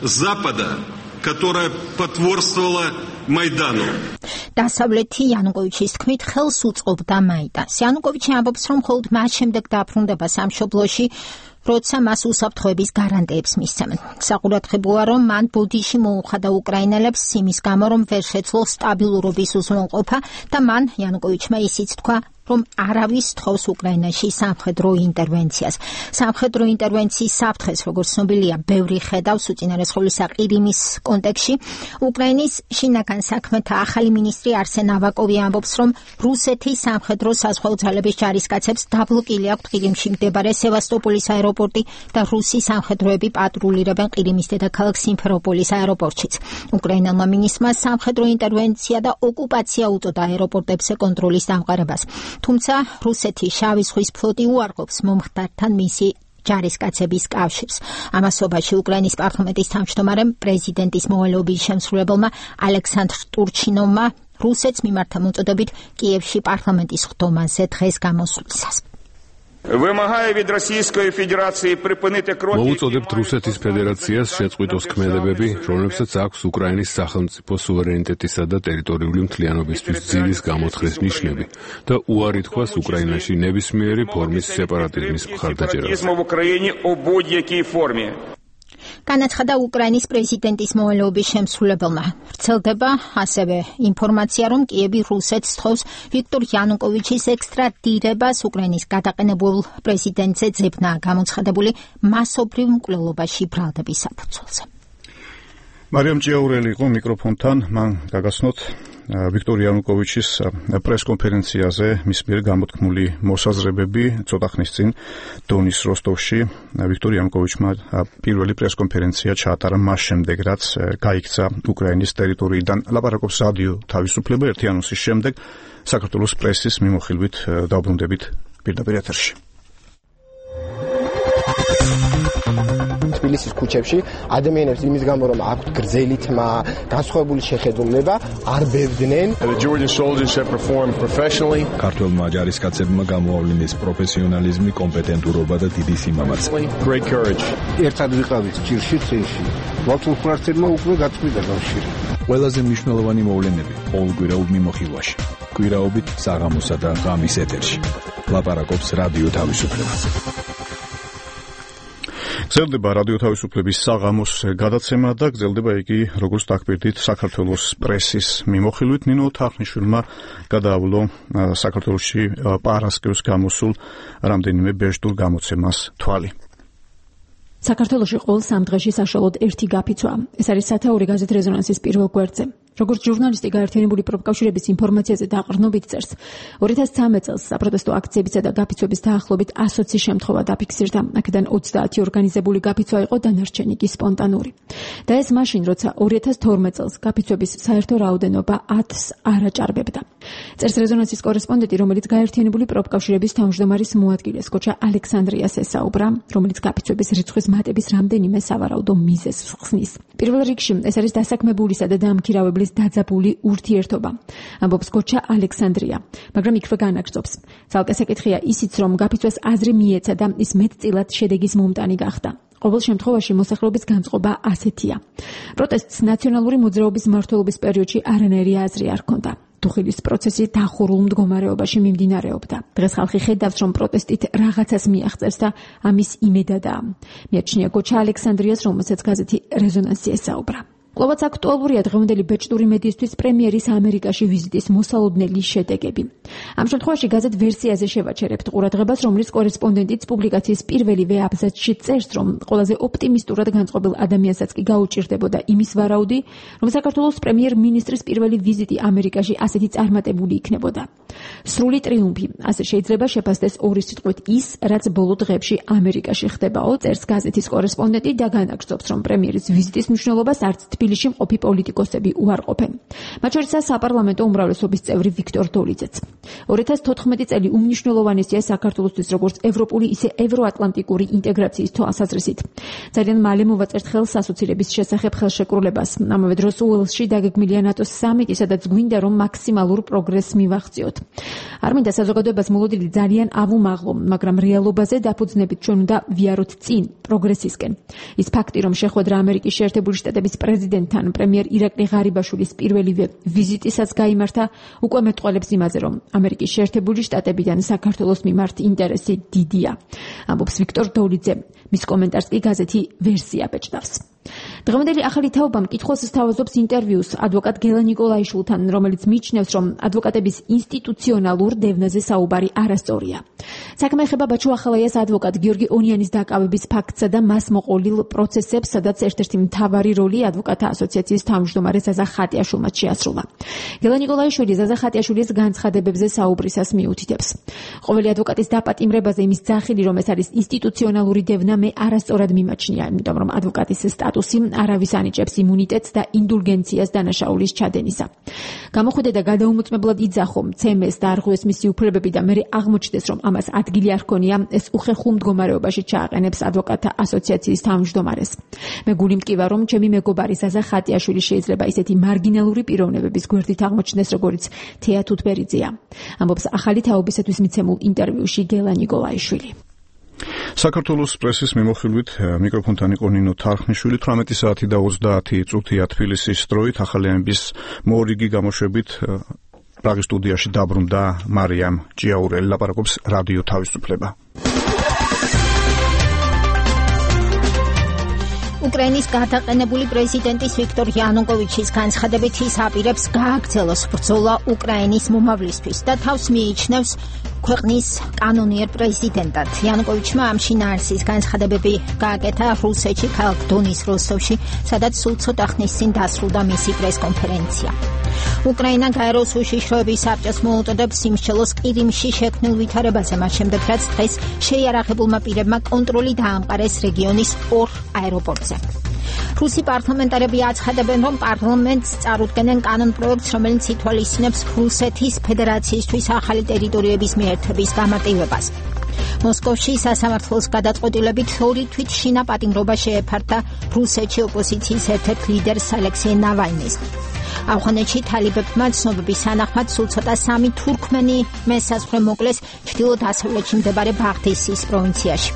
Запада, которая потворствовала Майдану. დასავლეთი იანუკოვიჩის თქმით ხელს უწყობდა მაიდანს. იანუკოვიჩი ამბობს, რომ მხოლოდ მას შემდეგ დაბრუნდება სამშობლოში, როცა მას უსაფრთხოების გარანტიებს მისცემენ. საყურადღებოა, რომ მან ბოდიში მოუხადა უკრაინელებს იმის გამო, რომ ვერ შეძლო სტაბილურობის უზრუნველყოფა და მან იანუკოვიჩმა ისიც თქვა, რომ არავის თხოვს უკრაინაში სამხედრო ინტერვენციას. სამხედრო ინტერვენციის საფრთხეს, როგორც ცნობილია, ბევრი ხედავს უწინარესხოლისა ყირიმის კონტექსტში. უკრაინის შინაგან საქმეთა ახალი მინისტრი არსენ ავაკოვი ამბობს, რომ რუსეთის სამხედრო საზღვაო ძალების ჯარისკაცებს დაბლოკილი აქვთ ყირიმში მდებარე სევასტოპოლის აეროპორტი და რუსი სამხედროები პატრულირებენ ყირიმის დედაქალაქ სიმფეროპოლის აეროპორტშიც. უკრაინელმა მინისტრმა სამხედრო ინტერვენცია და ოკუპაცია უწოდა აეროპორტებზე კონტროლის დამყარებას. თუმცა რუსეთის შავი ზღვის ფლოტი უარყოფს მომხდართან მისი ჯარისკაცების კავშირს. ამასობაში უკრაინის პარლამენტის თავმჯდომარემ პრეზიდენტის მოვალეობის შემსრულებელმა ალექსანდრ ტურჩინოვმა რუსეთს მიმართა მოწოდებით კიევში პარლამენტის ხდომაზე დღეს გამოსვლისას. მოუწოდებთ რუსეთის ფედერაციას შეწყვიტოს ქმედებები, რომლებსაც აქვს უკრაინის სახელმწიფო სუვერენიტეტისა და ტერიტორიული მთლიანობისთვის ძირის გამოთხრეს ნიშნები და უარი თქვას უკრაინაში ნებისმიერი ფორმის სეპარატიზმის მხარდაჭერას. განაცხადა უკრაინის პრეზიდენტის მოვალეობის შემსრულებელმა. ვრცელდება ასევე ინფორმაცია, რომ კიევი რუსეთს თხოვს ვიქტორ იანუკოვიჩის ექსტრადირებას უკრაინის გადაყენებულ პრეზიდენტზე ძებნა გამოცხადებული მასობრივ მკვლელობაში ბრალდების საფუძველზე. მარიამ ჭიაურელი იყო მიკროფონთან, მან გაგაცნოთ ვიქტორ იანუკოვიჩის პრესკონფერენციაზე მის მიერ გამოთქმული მოსაზრებები ცოტა ხნის წინ დონის როსტოვში. ვიქტორ იანუკოვიჩმა პირველი პრესკონფერენცია ჩაატარა მას შემდეგ, რაც გაიქცა უკრაინის ტერიტორიიდან. ლაპარაკობს რადიო თავისუფლება ერთი ანონსის შემდეგ საქართველოს პრესის მიმოხილვით დაუბრუნდებით პირდაპირ ეთერში. თბილისის ქუჩებში ადამიანებს იმის გამო რომ აქვთ გრძელი თმა, განსხვავებული შეხედულება, არ ბევდნენ. ქართველმა ჯარისკაცებმა გამოავლინეს პროფესიონალიზმი, კომპეტენტურობა და დიდი სიმამაცე. ერთად ვიყავით ჭირში წინში. ვათულხმართელმა უკვე გაწყვიტა კავშირი. ყველაზე მნიშვნელოვანი მოვლენები ყოველკვირეულ მიმოხილვაში. კვირაობით საღამოსა და ღამის ეთერში. ლაპარაკობს რადიო თავისუფლება. გრძელდება რადიო თავისუფლების საღამოს გადაცემა და გრძელდება იგი, როგორც დაგბირდით, საქართველოს პრესის მიმოხილვით. ნინო თახნიშვილმა გადაავლო საქართველოში პარასკევს გამოსულ რამდენიმე ბეჭდურ გამოცემას თვალი. საქართველოში ყოველ სამ დღეში საშუალოდ ერთი გაფიცვა. ეს არის სათაური გაზეთ რეზონანსის პირველ გვერდზე. როგორც ჟურნალისტი გაერთიანებული პროფკავშირების ინფორმაციაზე დაყრდნობით წერს, ორი ათას ცხრამეტ წელს საპროტესტო აქციებისა და გაფიცვების დაახლოებით ასოცი შემთხვევა დაფიქსირდა. აქედან ოცდაათი ორგანიზებული გაფიცვა იყო, დანარჩენი კი სპონტანური. და ეს მაშინ, როცა ორი ათას თორმეტ წელს გაფიცვების საერთო რაოდენობა ათს არ აჭარბებდა. წერს რეზონანსის კორესპონდენტი, რომელიც გაერთიანებული პროფკავშირების თავმჯდომარის მოადგილეს გოჩა ალექსანდრიას ესაუბრა, რომელიც გაფიცვების რიცხვის მატების რამდენიმე სავარაუდო მიზეზს ხსნის. პირველ რიგში ეს არის დასაქმებულისა და დამქირავებლის დაძაბული ურთიერთობა, ამბობს გოჩა ალექსანდრია, მაგრამ იქვე განაგრძობს. ცალკე საკითხია ისიც, რომ გაფიცვას აზრი მიეცა და ის მეტწილად შედეგის მომტანი გახდა. ყოველ შემთხვევაში მოსახლეობის განწყობა ასეთია. პროტესტს ნაციონალური მოძრაობის მმართველობის პერიოდში არანაირი აზრი არ ჰქონდა. დუხილის პროცესი დახურულ მდგომარეობაში მიმდინარეობდა. დღეს ხალხი ხედავს, რომ პროტესტით რაღაცას მიაღწევს და ამის იმედადაა. მიაჩნია გოჩა ალექსანდრიას, რომელსაც გაზეთი რეზონანსი ესაუბრა. კვლავაც აქტუალურია დღევანდელი ბეჭდური მედიისთვის პრემიერის ამერიკაში ვიზიტის მოსალოდნელი შედეგები. ამ შემთხვევაში გაზეთ ვერსიაზე შევაჩერებთ ყურადღებას, რომლის კორესპონდენტიც პუბლიკაციის პირველივე აბზაცში წერს, რომ ყველაზე ოპტიმისტურად განწყობილ ადამიანსაც კი გაუჭირდებოდა იმის ვარაუდი, რომ საქართველოს პრემიერ-მინისტრის პირველი ვიზიტი ამერიკაში ასეთი წარმატებული იქნებოდა. სრული ტრიუმფი, ასე შეიძლება შეფასდეს ორი სიტყვით ის, რაც ბოლო დღეებში ამერიკაში ხდებაო, წერს გაზეთის კორესპონდენტი და განაგრძობს, რომ პრემიერის ვიზიტის მნიშვნელობას არც თბილისში მყოფი პოლიტიკოსები უარყოფენ. მათ შორისაა საპარლამენტო უმრავლესობის წევრი ვიქტორ დოლიძეც. ორი ათას თოთხმეტი წელი უმნიშვნელოვანესია საქართველოსთვის როგორც ევროპული, ისე ევროატლანტიკური ინტეგრაციის თვალსაზრისით. ძალიან მალე მოვაწერთ ხელს ასოცირების შესახებ ხელშეკრულებას. ამავე დროს უელსში დაგეგმილია ნატოს სამიტი, სადაც გვინდა რომ მაქსიმალურ პროგრესს მივახციოთ. არ მინდა საზოგადოებას მოლოდინი ძალიან ავუმაღლო, მაგრამ რეალობაზე დაფუძნებით ჩვენ უნდა ვიაროთ წინ პროგრესისკენ. ის ფაქტი, რომ შეხვედრა ამერიკის შეერთებული შტატების პრეზიდენტთან პრემიერ ირაკლი ღარიბაშვილის პირველივე ვიზიტისაც გაიმართა, უკვე მეტყველებს იმაზე, რომ ამერიკის შეერთებული შტატებიდან საქართველოს მიმართ ინტერესი დიდია. ამბობს ვიქტორ დოლიძე. მის კომენტარს კი გაზეთი ვერსია ბეჭდავს. დღევანდელი ახალი თაობა მკითხველს სთავაზობს ინტერვიუს ადვოკატ გელა ნიკოლაიშვილთან, რომელიც მიიჩნევს, რომ ადვოკატების ინსტიტუციონალურ დევნაზე საუბარი არასწორია. საქმე ეხება ბაჩუ ახალაიას ადვოკატ გიორგი ონიანის დაკავების ფაქტსა და მას მოყოლილ პროცესებს, სადაც ერთ-ერთი მთავარი როლი ადვოკატთა ასოციაციის თავმჯდომარე ზაზა ხატიაშვილმა შეასრულა. გელა ნიკოლაიშვილი ზაზა ხატიაშვილის განცხადებებზე საუბრისას მიუთითებს. ყოველი ადვოკატის დაპატიმრებაზე იმის ძახილი, რომ ეს არის ინსტიტუციონალური დევნა, მე არასწორად მიმაჩნია, იმიტომ რომ ადვოკატის სტატუსი არავის ანიჭებს იმუნიტეტს და ინდულგენციას დანაშაულის ჩადენისა. გამოხვიდე და გადაუმოწმებლად იძახო მცემეს და არღვიეს მისი უფლებები და მერე აღმოჩნდეს, რომ ამას ადგილი არ ჰქონია, ეს უხერხულ მდგომარეობაში ჩააყენებს ადვოკატთა ასოციაციის თავმჯდომარეს. მე გული მტკივა, რომ ჩემი მეგობარი ზაზა ხატიაშვილი შეიძლება ისეთი მარგინალური პიროვნებების გვერდით აღმოჩნდეს, როგორც თეა თუთბერიძეა. ამბობს ახალი თაობისათვის მიცემულ ინტერვიუში გელა ნიკოლაიშვილი. საქართველოს პრესის მიმოხილვით მიკროფონთან იყო ნინო თარხნიშვილი. თვრამეტი საათი და ოცდაათი წუთია თბილისის დროით. ახალიანების მორიგი გამოშვებით პრაღის სტუდიაში დაბრუნდა მარიამ ჭიაურელი. ლაპარაკობს რადიო თავისუფლება. უკრაინის გადაყენებული პრეზიდენტის ვიქტორ იანუკოვიჩის განცხადებით ის აპირებს გააგრძელოს ბრძოლა უკრაინის მომავლისთვის და თავს მიიჩნევს ქვეყნის კანონიერ პრეზიდენტად. იანუკოვიჩმა ამ შინაარსის განცხადებები გააკეთა რუსეთში ქალაქ დონის როსტოვში, სადაც სულ ცოტა ხნის წინ დასრულდა მისი პრესკონფერენცია. უკრაინა გაეროს უშიშროების საბჭოს მოუწოდებს სიმსჯელოს ყირიმში შექმნილ ვითარებაზე, მას შემდეგ რაც დღეს შეიარაღებულმა პირებმა კონტროლი დაამყარეს რეგიონის ორ აეროპორტზე. რუსი პარლამენტარები აცხადებენ, რომ პარლამენტს წარუდგენენ კანონპროექტს, რომელიც ითვალისწინებს რუსეთის ფედერაციისთვის ახალი ტერიტორიების მიერთების გამარტივებას. მოსკოვში სასამართლოს გადაწყვეტილებით ორი თვითშინა პატიმრობა შეეფარდა რუსეთში ოპოზიციის ერთ-ერთ ლიდერს ალექსეი ნავალნის. ავღანეთში თალიბებმა ცნობების თანახმად სულ ცოტა სამი თურქმენი მესაზღვრე მოკლეს ჩრდილო-დასავლეთში მდებარე ბაღდისის პროვინციაში.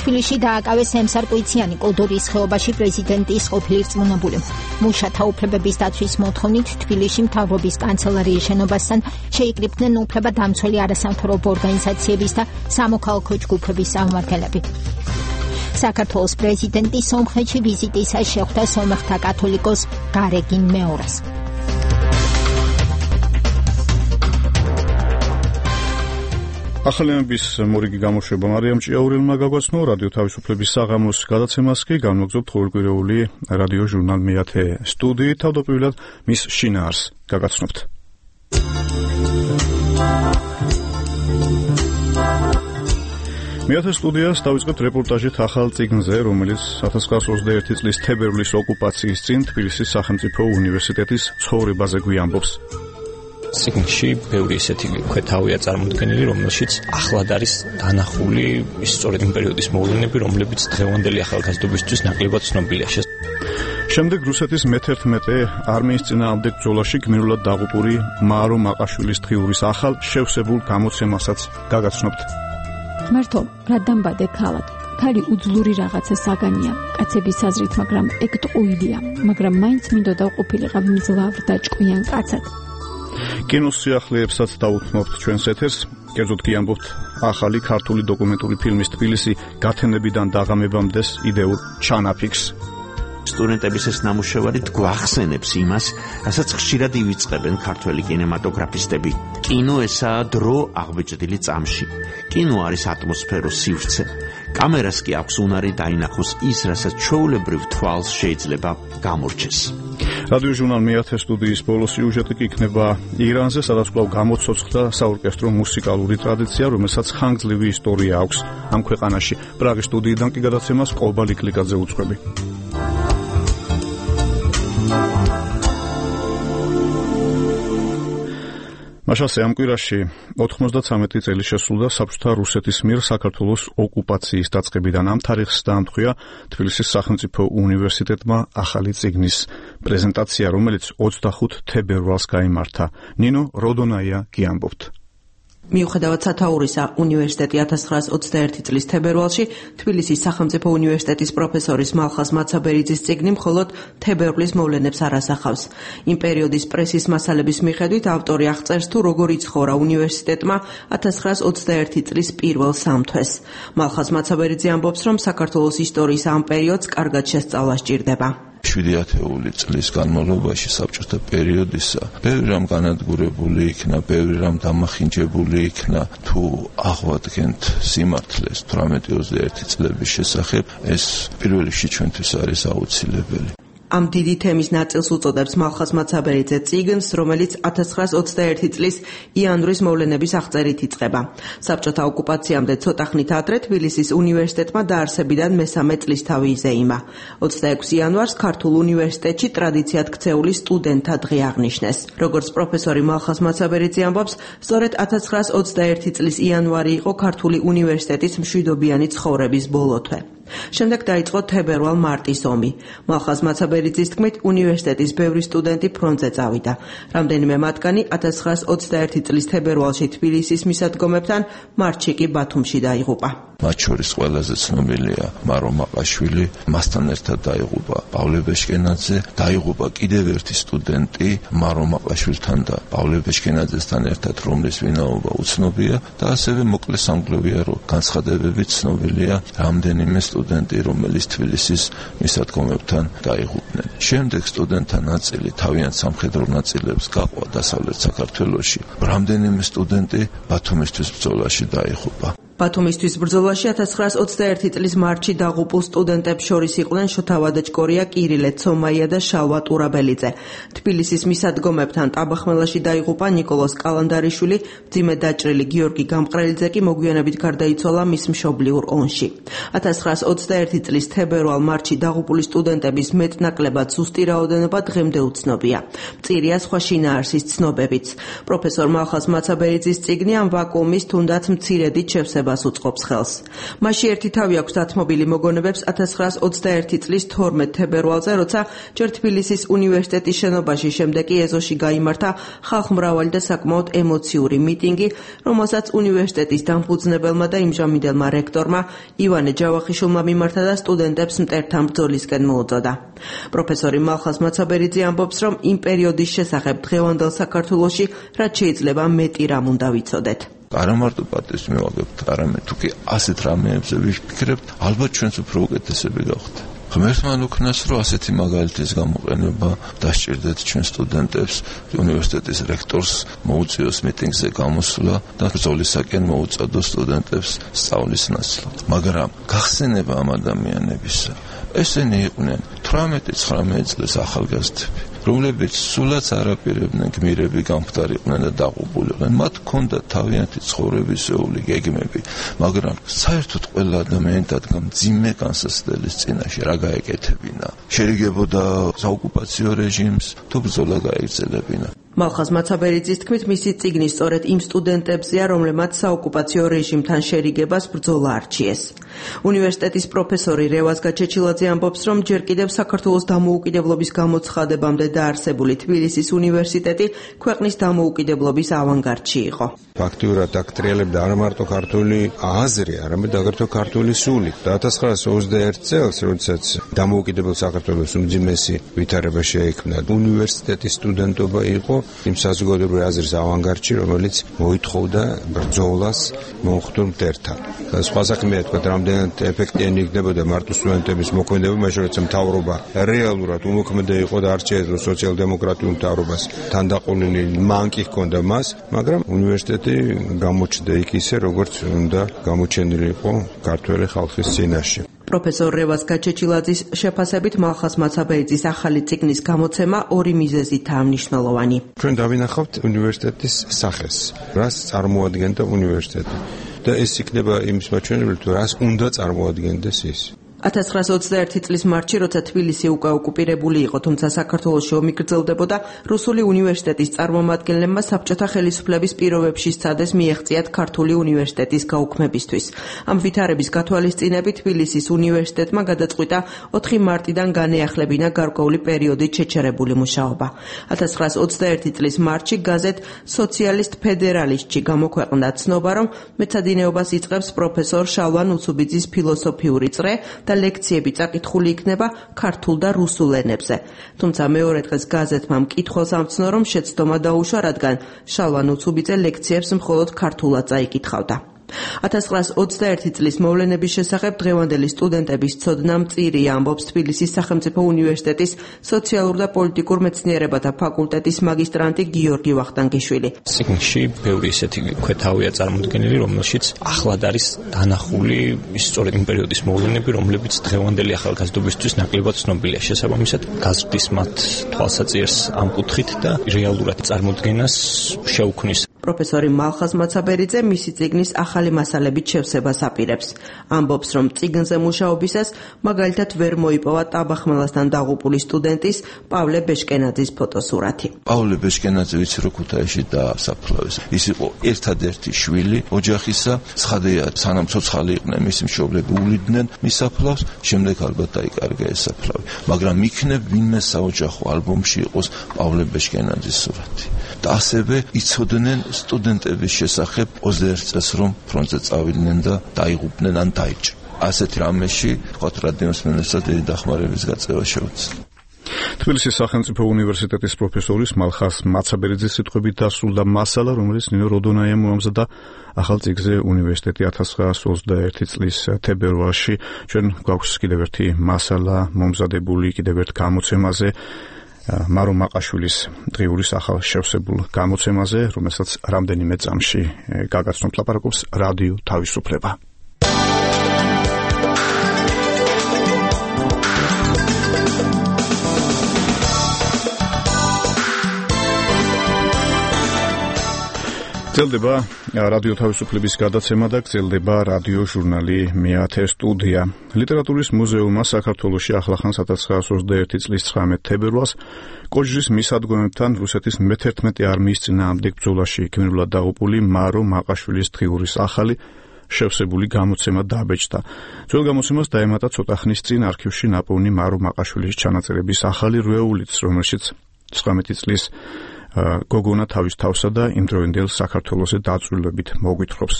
თბილისში დააკავეს ემსარკვიციანი კოლდორის ხეობაში პრეზიდენტის ყოფილი რწმუნებული. მუშათა უფლებების დაცვის მოთხოვნით თბილისში მთავრობის კანცელარიის შენობასთან შეიკრიბნენ უფლებადამცველი არასამთავრობო ორგანიზაციების და სამოქალაქო ჯგუფების წარმომადგენლები. საქართველოს პრეზიდენტი სომხეთში ვიზიტისას შეხვდა სომეხთა კათოლიკოს გარეგინ მეორეს. ახალიანების მორიგი გამოშვება მარიამ ჭიაურელმა გაგვაცნო. რადიო თავისუფლების საღამოს გადაცემას კი განმოგზავნებთ ყოველკვირეული რადიო ჟურნალ მეათე სტუდიით. თავდაპირველად მის შინაარს გაგაცნობთ. მეათე სტუდიას დავიწყებთ რეპორტაჟით ახალ წიგნზე, რომელიც ოთხ ათას ოცდაერთი წლის თებერვლის ოკუპაციის წინ თბილისის სახელმწიფო უნივერსიტეტის ცხოვრებაზე გვიამბობს. წიგნში ბევრი ისეთი ქვეთავია წარმოდგენილი, რომელშიც ახლად არის დანახული ის სწორედ იმ პერიოდის მოვლენები, რომლებიც დღევანდელი ახალგაზრდობისთვის ნაკლებად ცნობილია. შემდეგ რუსეთის მეთერთმეტე არმიის წინააღმდეგ ბრძოლაში გმირულად დაღუპული მარო მაყაშვილის დღიურის ახალ შევსებულ გამოცემასაც გაგაცნობთ. ღმერთო, რა დამბადე ქალად. ქალი უძლური რაღაცა საგანია, კაცების აზრით, მაგრამ ეგ ტყუილია, მაგრამ მაინც მინდოდა ყოფილიყავი მძლავრ და ჭკვიან კაცად. კინოს სიახლეებსაც დაუთმობთ ჩვენს ეთერს. კერძოდ კი ამბობთ ახალი ქართული დოკუმენტური ფილმის თბილისი გათენებიდან დაღამებამდეს იდეურ ჩანაფიქს. სტუდენტების ეს ნამუშევარი გვახსენებს იმას, რასაც ხშირად ივიწყებენ ქართველი კინემატოგრაფისტები. კინო ესაა დრო აღბეჭდილი წამში. კინო არის ატმოსფეროს სივრცე. კამერას კი აქვს უნარი დაინახოს ის, რასაც ჩვეულებრივ თვალს შეიძლება გამორჩეს. რადიო ჟურნალ მეათე სტუდიის ბოლო სიუჟეტი კი იქნება ირანზე, სადაც კვლავ გამოცოცხლდა საორკესტრო მუსიკალური ტრადიცია, რომელსაც ხანგრძლივი ისტორია აქვს ამ ქვეყანაში. პრაღის სტუდიიდან კი გადაცემას ყობა ლიკლიკაძე უძღვები. მაშასე ამ კვირაში ოთხმოცდაცამეტი წელი შესრულდა საბჭოთა რუსეთის მიერ საქართველოს ოკუპაციის დაწყებიდან. ამ თარიღს დაამტყვია თბილისის სახელმწიფო უნივერსიტეტმა ახალი წიგნის პრეზენტაცია, რომელიც ოცდახუთ თებერვალს გაიმართა. ნინო როდონაია გიამბობთ. მიუხედავად სათაურისა, უნივერსიტეტი ოთხ ათას ოცდაერთი წლის თებერვალში თბილისის სახელმწიფო უნივერსიტეტის პროფესორის მალხაზ მაცაბერიძის წიგნი მხოლოდ თებერვლის მოვლენებს არ ასახავს. იმ პერიოდის პრესის მასალების მიხედვით ავტორი აღწერს თუ როგორ იცხოვრა უნივერსიტეტმა ოთხ ათას ოცდაერთი წლის პირველ სამთვეს. მალხაზ მაცაბერიძე ამბობს, რომ საქართველოს ისტორიის ამ პერიოდს კარგად შესწავლა სჭირდება. შვიდი ათეული წლის განმავლობაში საბჭოთა პერიოდისა ბევრი რამ განადგურებული იქნა, ბევრი რამ დამახინჯებული იქნა. თუ აღვადგენთ სიმართლეს თვრამეტი ოცდაერთი წლების შესახებ, ეს პირველ რიგში ჩვენთვის არის აუცილებელი. ამ დიდი თემის ნაწილს უწოდებს მალხაზ მაცაბერიძე წიგნს, რომელიც ათას ცხრაას ოცდაერთი წლის იანვრის მოვლენების აღწერით იწყება. საბჭოთა ოკუპაციამდე ცოტა ხნით ადრე თბილისის უნივერსიტეტმა დაარსებიდან მესამე წლისთავი იზეიმა. ოცდაექვსი იანვარს ქართულ უნივერსიტეტში ტრადიციად ქცეული სტუდენტთა დღე აღნიშნეს. როგორც პროფესორი მალხაზ მაცაბერიძე ამბობს, სწორედ ათას ცხრაას ოცდაერთი წლის იანვარი იყო ქართული უნივერსიტეტის მშვიდობიანი ცხოვრების ბოლო თვე. შემდეგ დაიწყო თებერვალ-მარტის ომი. მალხაზ მაცაბერიძის თქმით, უნივერსიტეტის ბევრი სტუდენტი ფრონტზე წავიდა. რამდენიმე მათგანი ათას ცხრაას ოცდაერთი წლის თებერვალში თბილისის მისადგომებთან, მარტში კი ბათუმში დაიღუპა. მათ შორის ყველაზე ცნობილია მარო მაყაშვილი, მასთან ერთად დაიღუპა პავლე ბეშკენაძე, დაიღუპა კიდევ ერთი სტუდენტი მარო მაყაშვილთან და პავლე ბეშკენაძესთან ერთად, რომლის ვინაობა უცნობია და ასევე მოკლე სამგლოვია, რომ განცხადებებით ცნობილია რამდენიმე სტუდენტი, რომელიც თბილისის მისადგომებთან დაიღუპნენ. შემდეგ სტუდენტთა ნაწილი თავიანთ სამხედრო ნაწილებს გაყვა დასავლეთ საქართველოში. რამდენიმე სტუდენტი ბათუმისთვის ბრძოლაში დაიღუპა. ბათუმისთვის ბრძოლაში ათას ცხრაას ოცდაერთი წლის მარტში დაღუპულ სტუდენტებს შორის იყვნენ შოთა ვადაჭკორია, კირილე ცომაია და შალვა ტურაბელიძე. თბილისის მისადგომებთან ტაბახმელაში დაიღუპა ნიკოლოზ კალანდარიშვილი, მძიმე დაჭრილი გიორგი გამყრელიძე კი მოგვიანებით გარდაიცვალა მის მშობლიურ ონში. ათას ცხრაას ოცდაერთი წლის თებერვალ-მარტში დაღუპული სტუდენტების მეტნაკლებად ზუსტი რაოდენობა დღემდე უცნობია. მწირია სხვა შინაარსის ცნობებიც. პროფესორ მალხაზ მაცაბერიძის წიგნი ამ ვაკუუმის თუნდაც მცირედით შევსება უწყობს ხელს. მასში ერთი თავი აქვს დათმობილი მოგონებებს ათას ცხრაას ოცდაერთი წლის თორმეტ თებერვალზე, როცა ჯერ თბილისის უნივერსიტეტის შენობაში, შემდეგ კი ეზოში გაიმართა ხალხმრავალი და საკმაოდ ემოციური მიტინგი, რომელსაც უნივერსიტეტის დამფუძნებელმა და იმჟამინდელმა რექტორმა ივანე ჯავახიშვილმა მიმართა და სტუდენტებს მტერთან ბრძოლისკენ მოუწოდა. პროფესორი მალხაზ მაცაბერიძე ამბობს, რომ იმ პერიოდის შესახებ დღევანდელ საქართველოში რაც შეიძლება მეტი რამ უნდა ვიცოდეთ. არა მარტო პატივს მივაგებთ, არამედ თუ კი ასეთ რამეებზე ვიფიქრებთ, ალბათ ჩვენც უფრო უკეთესები გავხდეთ. ღმერთმა უკნას, რომ ასეთი მაგალითის გამოყენება დასჭირდეთ ჩვენ სტუდენტებს, უნივერსიტეტის რექტორს მოუწიოს მიტინგზე გამოსვლა და ბრძოლისაკენ მოუწოდოს სტუდენტებს სწავლის ნაცვლად. მაგრამ გახსენება ამ ადამიანებისა, ესენი იყვნენ თვრამეტი ცხრამეტი წლის ახალგაზრდები, რომლებიც სულაც არაპირებდნენ გმირები გამხდარიყვნენ და დაღუპულიყვნენ. მათ ჰქონდათ თავიანთი ცხოვრებისეული გეგმები, მაგრამ საერთოდ ყველა ადამიანი დადგა მძიმე განსაცდელის წინაშე, რა გაეკეთებინა. შეიგებოდა საოკუპაციო რეჟიმს, თუ ბრძოლა გაეგრძელებინა. მალხაზ მაცაბერიძის თქმით, მისი წიგნი სწორედ იმ სტუდენტებზეა, რომლებმაც საოკუპაციო რეჟიმთან შერიგებას ბრძოლა არჩიეს. უნივერსიტეტის პროფესორი რევაზ გაჩეჩილაძე ამბობს, რომ ჯერ კიდევ საქართველოს დამოუკიდებლობის გამოცხადებამდე დაარსებული თბილისის უნივერსიტეტი ქვეყნის დამოუკიდებლობის ავანგარდში იყო. ფაქტიურად აქ ტრიალებდა არა მარტო ქართული აზრი, არამედ აგრეთვე ქართული სული. და ათას ცხრაას ოცდაერთი წელს, როდესაც დამოუკიდებელ საქართველოს უმძიმესი ვითარება შეიქმნა, უნივერსიტეტის სტუდენტობა იყო იმ საზოგადოებრივი აზრის ავანგარდში, რომელიც მოითხოვდა ბრძოლას მომხდარ მტერთან. სხვა საქმეა თქვა, რამდენად ეფექტიანი იქნებოდა მარტო სტუდენტების მოქმედება, მაშინ როცა მთავრობა რეალურად უმოქმედე იყო და არ შეეძლო სოციალ-დემოკრატიულ მთავრობას თანდაყოლილი მანკი ჰქონდა მას, მაგრამ უნივერსიტეტი გამოჩნდა იქ ისე, როგორც უნდა გამოჩენილი იყო ქართველი ხალხის წინაშე. პროფესორ რევაზ გაჩეჩილაძის შეფასებით მალხაზ მაცაბერიძის ახალი წიგნის გამოცემა ორი მიზეზითაა მნიშვნელოვანი. ჩვენ დავინახავთ უნივერსიტეტის სახეს, რას წარმოადგენდა უნივერსიტეტი და ეს იქნება იმის მაჩვენებელი, თუ რას უნდა წარმოადგენდეს ის. ათას ცხრაას ოცდაერთი წლის მარტში, როცა თბილისი უკვე ოკუპირებული იყო, თუმცა საქართველოში ომი გრძელდებოდა, რუსული უნივერსიტეტის წარმომადგენლებმა საბჭოთა ხელისუფლების პირობებში სცადეს მიეღწიათ ქართული უნივერსიტეტის გაუქმებისთვის. ამ ვითარების გათვალისწინებით თბილისის უნივერსიტეტმა გადაწყვიტა ოთხი მარტიდან განეახლებინა გარკვეული პერიოდით შეჩერებული მუშაობა. ათას ცხრაას ოცდაერთი წლის მარტში გაზეთ სოციალისტ ფედერალისტში გამოქვეყნდა ცნობა, რომ მეცადინეობას იწყებს პროფესორ შალვა ნუცუბიძის ფილოსოფიური წრე და ლექციები წაკითხული იქნება ქართულ და რუსულ ენებზე. თუმცა მეორე დღეს გაზეთმა მკითხველს ამცნო, რომ შეცდომა დაუშვა, რადგან შალვა ნუცუბიძე ლექციებს მხოლოდ ქართულად წაიკითხავდა. ათას ცხრაას ოცდაერთი წლის მოვლენების შესახებ დღევანდელი სტუდენტების ცოდნა მწირია, ამბობს თბილისის სახელმწიფო უნივერსიტეტის სოციალურ და პოლიტიკურ მეცნიერებათა ფაკულტეტის მაგისტრანტი გიორგი ვახტანგიშვილი. სიგნში ბევრი ისეთი ქვეთავია წარმოდგენილი, რომელშიც ახლად არის დანახული ის სწორედ იმ პერიოდის მოვლენები, რომლებიც დღევანდელი ახალგაზრდობისთვის ნაკლებად ცნობილია. შესაბამისად, გაზრდის მათ თვალსაჩინოს ამ კუთხით და რეალურად წარმოდგენას შეუქმნის. პროფესორი მალხაზ მაცაბერიძე მისი წიგნის ახალი მასალებით შევსებას აპირებს. ამბობს, რომ წიგნზე მუშაობისას მაგალითად ვერ მოიპოვა ტაბახმელასთან დაღუპული სტუდენტის პავლე ბეშკენაძის ფოტოსურათი. პავლე ბეშკენაძე ვიცი რო ქუთაისში დაასაფლავეს. ის იყო ერთადერთი შვილი ოჯახისა, ცხადია სანამ ცოცხალი იყვნენ მისი მშობლები უვლიდნენ მის საფლავს, შემდეგ ალბათ დაიკარგა ეს საფლავი. მაგრამ იქნებ ვინმე საოჯახო ალბომში იყოს პავლე ბეშკენაძის სურათი. და ასევე იცოდნენ სტუდენტების შესახებ ოცდაერთ წელს რომ ფრონტზე წავიდნენ და დაიღუპნენ ან დაიჭრნენ. ასეთ რამეში თქვათ რადიოს მენეჯერს დიდი დახმარების გაწევა შეუძლია. თბილისის სახელმწიფო უნივერსიტეტის პროფესორის მალხაზ მაცაბერიძის სიტყვებით დასრულდა მასალა, რომელიც ნინო როდონაიამ მოამზადა ახალ წიგნზე უნივერსიტეტი ათას ცხრაას ოცდაერთი წლის თებერვალში. ჩვენ გვაქვს კიდევ ერთი მასალა მომზადებული კიდევ ერთ გამოცემაზე, მარო მაყაშვილის დღიურის ახალ შევსებულ გამოცემაზე, რომელსაც რამდენიმე წამში გაგაცნობთ, ლაპარაკობს რადიო თავისუფლება. გრძელდება რადიო თავისუფლების გადაცემა და გრძელდება რადიო ჟურნალი მეათე სტუდია. ლიტერატურის მუზეუმმა საქართველოში ახლახანს ათას ცხრაას ოცდაერთი წლის ცხრამეტ თებერვალს კოჯრის მისადგომებთან რუსეთის მეთერთმეტე არმიის წინააღმდეგ ბრძოლაში გმირულად დაღუპული მარო მაყაშვილის დღიურის ახალი შევსებული გამოცემა დაბეჭდა. ძველ გამოცემას დაემატა ცოტა ხნის წინ არქივში ნაპოვნი მარო მაყაშვილის ჩანაწერების ახალი რვეულიც, რომელშიც ცხრამეტი წლის გოგონა თავის თავსა და იმდროინდელ საქართველოსზე დაწვრილებით მოგვითხრობს.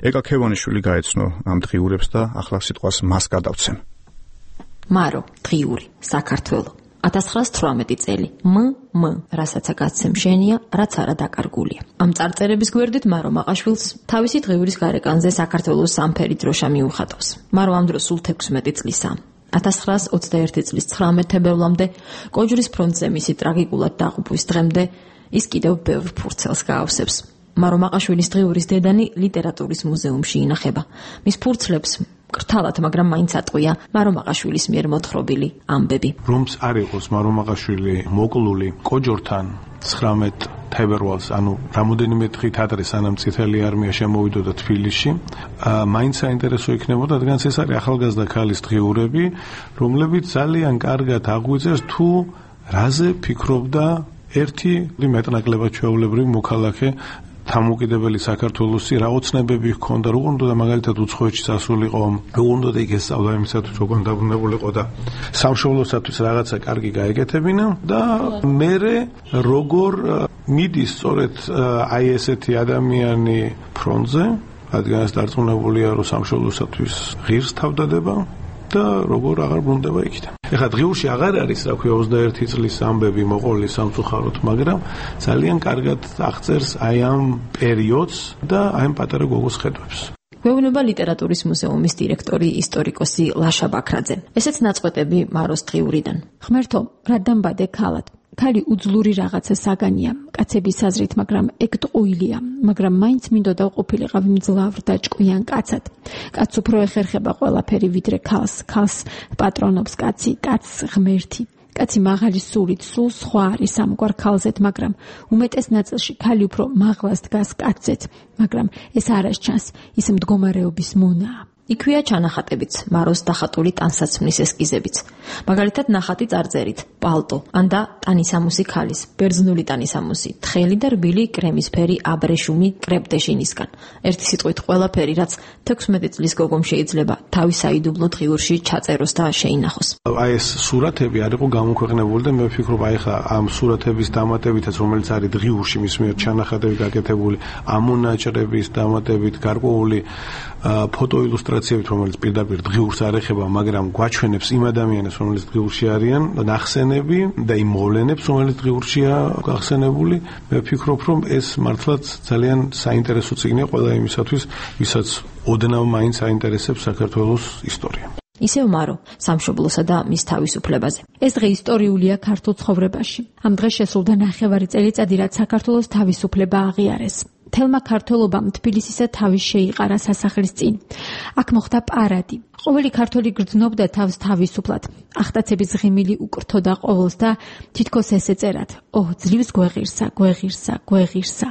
ეკა ქევანიშვილი გაეცნო ამ დღიურებს და ახლა სიტყვას მას გადავცემ. მარო, დღიური, საქართველო. ათას ცხრაას თვრამეტი წელი. მ მ რასაცა გაცემ შენია, რაც არა დაკარგულია. ამ წარწერების გვერდით მარო მაყაშვილს თავისი დღიურის გარეკანზე საქართველოს სამფერი დროშა მიუხატავს. მარო ამ დროს სულ თექვსმეტი წლისაა. ათას ცხრაას ოცდაერთი წლის ცხრამეტ თებერვლამდე კოჯრის ფრონტზე მისი ტრაგიკულად დაღუპვის დღემდე ის კიდევ ბევრ ფურცელს გაავსებს. მარო მაყაშვილის დღიურის დედანი ლიტერატურის მუზეუმში ინახება. მის ფურცლებს კრთალად, მაგრამ მაინც ატყვია მარო მაყაშვილის მიერ მოთხრობილი ამბები. რომც არ იყოს მარო მაყაშვილი მოკლული კოჯორთან ცხრამეტ თებერვალს, ანუ რამოდენიმე დღით ადრე სანამ წითელი არმია შემოვიდოდა თბილისში, მაინც საინტერესო იქნებოდა, რადგან ეს არის ახალგაზრდა ქალის დღიურები, რომლებიც ძალიან კარგად აღვიძებს თუ რაზე ფიქრობდა ერთი მეტნაკლებად ჩვეულებრივი მოქალაქე დამოუკიდებელი საქართველოსი, რა ოცნებები ჰქონდა, როგორ უნდა მაგალითად უცხოეთში სასულიყო, როგორ უნდა იქ ესწავლა იმისათვის, როგორ დაბრუნებულიყო და სამშობლოსათვის რაღაცა კარგი გაეკეთებინა და მერე როგორ მიდის სწორედ აი ესეთი ადამიანი ფრონტზე, რადგან ეს დარწმუნებულია, რომ სამშობლოსათვის ღირს თავდადება და როგორ აღარ ბრუნდება იქიდან. ეხლა დღიურში აღარ არის, რა ქვია, ოცდაერთი წლის ამბები მოყოლი სამწუხაროდ, მაგრამ ძალიან კარგად აღწერს აი ამ პერიოდს და აი ამ პატარა გოგოს ხედვებს. გვეუბნება ლიტერატურის მუზეუმის დირექტორი ისტორიკოსი ლაშა ბაქრაძე. ესეც ნაწყვეტები მაროს დღიურიდან. ღმერთო, რა დამბადე ქალად. ქალი უძლური რაღაცა საგანია, კაცების აზრით, მაგრამ ეგ ტყუილია, მაგრამ მაინც მინდოდა ყოფილიყავ მძლავრ და ჭკვიან კაცად. კაც უფრო ეხერხება ყველაფერი ვიდრე ქალს, ქალს პატრონობს კაცი, კაცს ღმერთი. კაცი მაღალი სულით, სულ სხვა არის ამგვარ ქალზეთ, მაგრამ უმეტეს ნაწილში ქალი უფრო მაღლას დგას კაცზეთ, მაგრამ ეს არას ჩანს, ის მდგომარეობის მონაა. იქვეა ჩანახატებიც, მაროს დახატული ტანსაცმლის ესკიზებიც. მაგალითად ნახატი წარწერით, პალტო, ან და ტანისამუსი ქალის, ბერძნული ტანისამუსი, თხელი და რბილი კრემისფერი აბრეშუმი კრეპტეშინისგან. ერთი სიტყვით ყველაფერი, რაც თექვსმეტი წლის გოგომ შეიძლება თავის საიდუმლო დღიურში ჩაწეროს და შეინახოს. აი ეს სურათები არ იყო გამოქვეყნებული და მე ვფიქრობ, აი ხა ამ სურათების დამატებითაც, რომელიც არის დღიურში მის მიერ ჩანახატები გაკეთებული, ამ მონაჭრების დამატებით გარკვეული ფოტოილუსტრაციები სიტუაციებით, რომელიც პირდაპირ დღიურს არ ეხება, მაგრამ გვაჩვენებს იმ ადამიანებს, რომელიც დღიურში არიან, ნახსენები და იმ მოვლენებს, რომელიც დღიურშია გახსენებული. მე ვფიქრობ, რომ ეს მართლაც ძალიან საინტერესო წიგნია ყველა იმისათვის, ვისაც ოდნავ მაინც აინტერესებს საქართველოს ისტორია. ისევ მარო, სამშობლოსა და მის თავისუფლებაზე. ეს დღე ისტორიულია ქართულ ცხოვრებაში. ამ დღეს შესრულდა ნახევარი წელიწადი, რაც საქართველოს თავისუფლება აღიარეს. თელმა ქართველობამ თბილისისა თავის შეიყარა სასახლის წინ. აქ მოხდა პარადი. ყოველი ქართველი გრძნობდა თავს თავისუფლად. ახტაცების ღიმილი უკრთოდა ყოველს და თითქოს ესე წერად: "ოჰ, ძლივს გვეღირსა, გვეღირსა, გვეღირსა.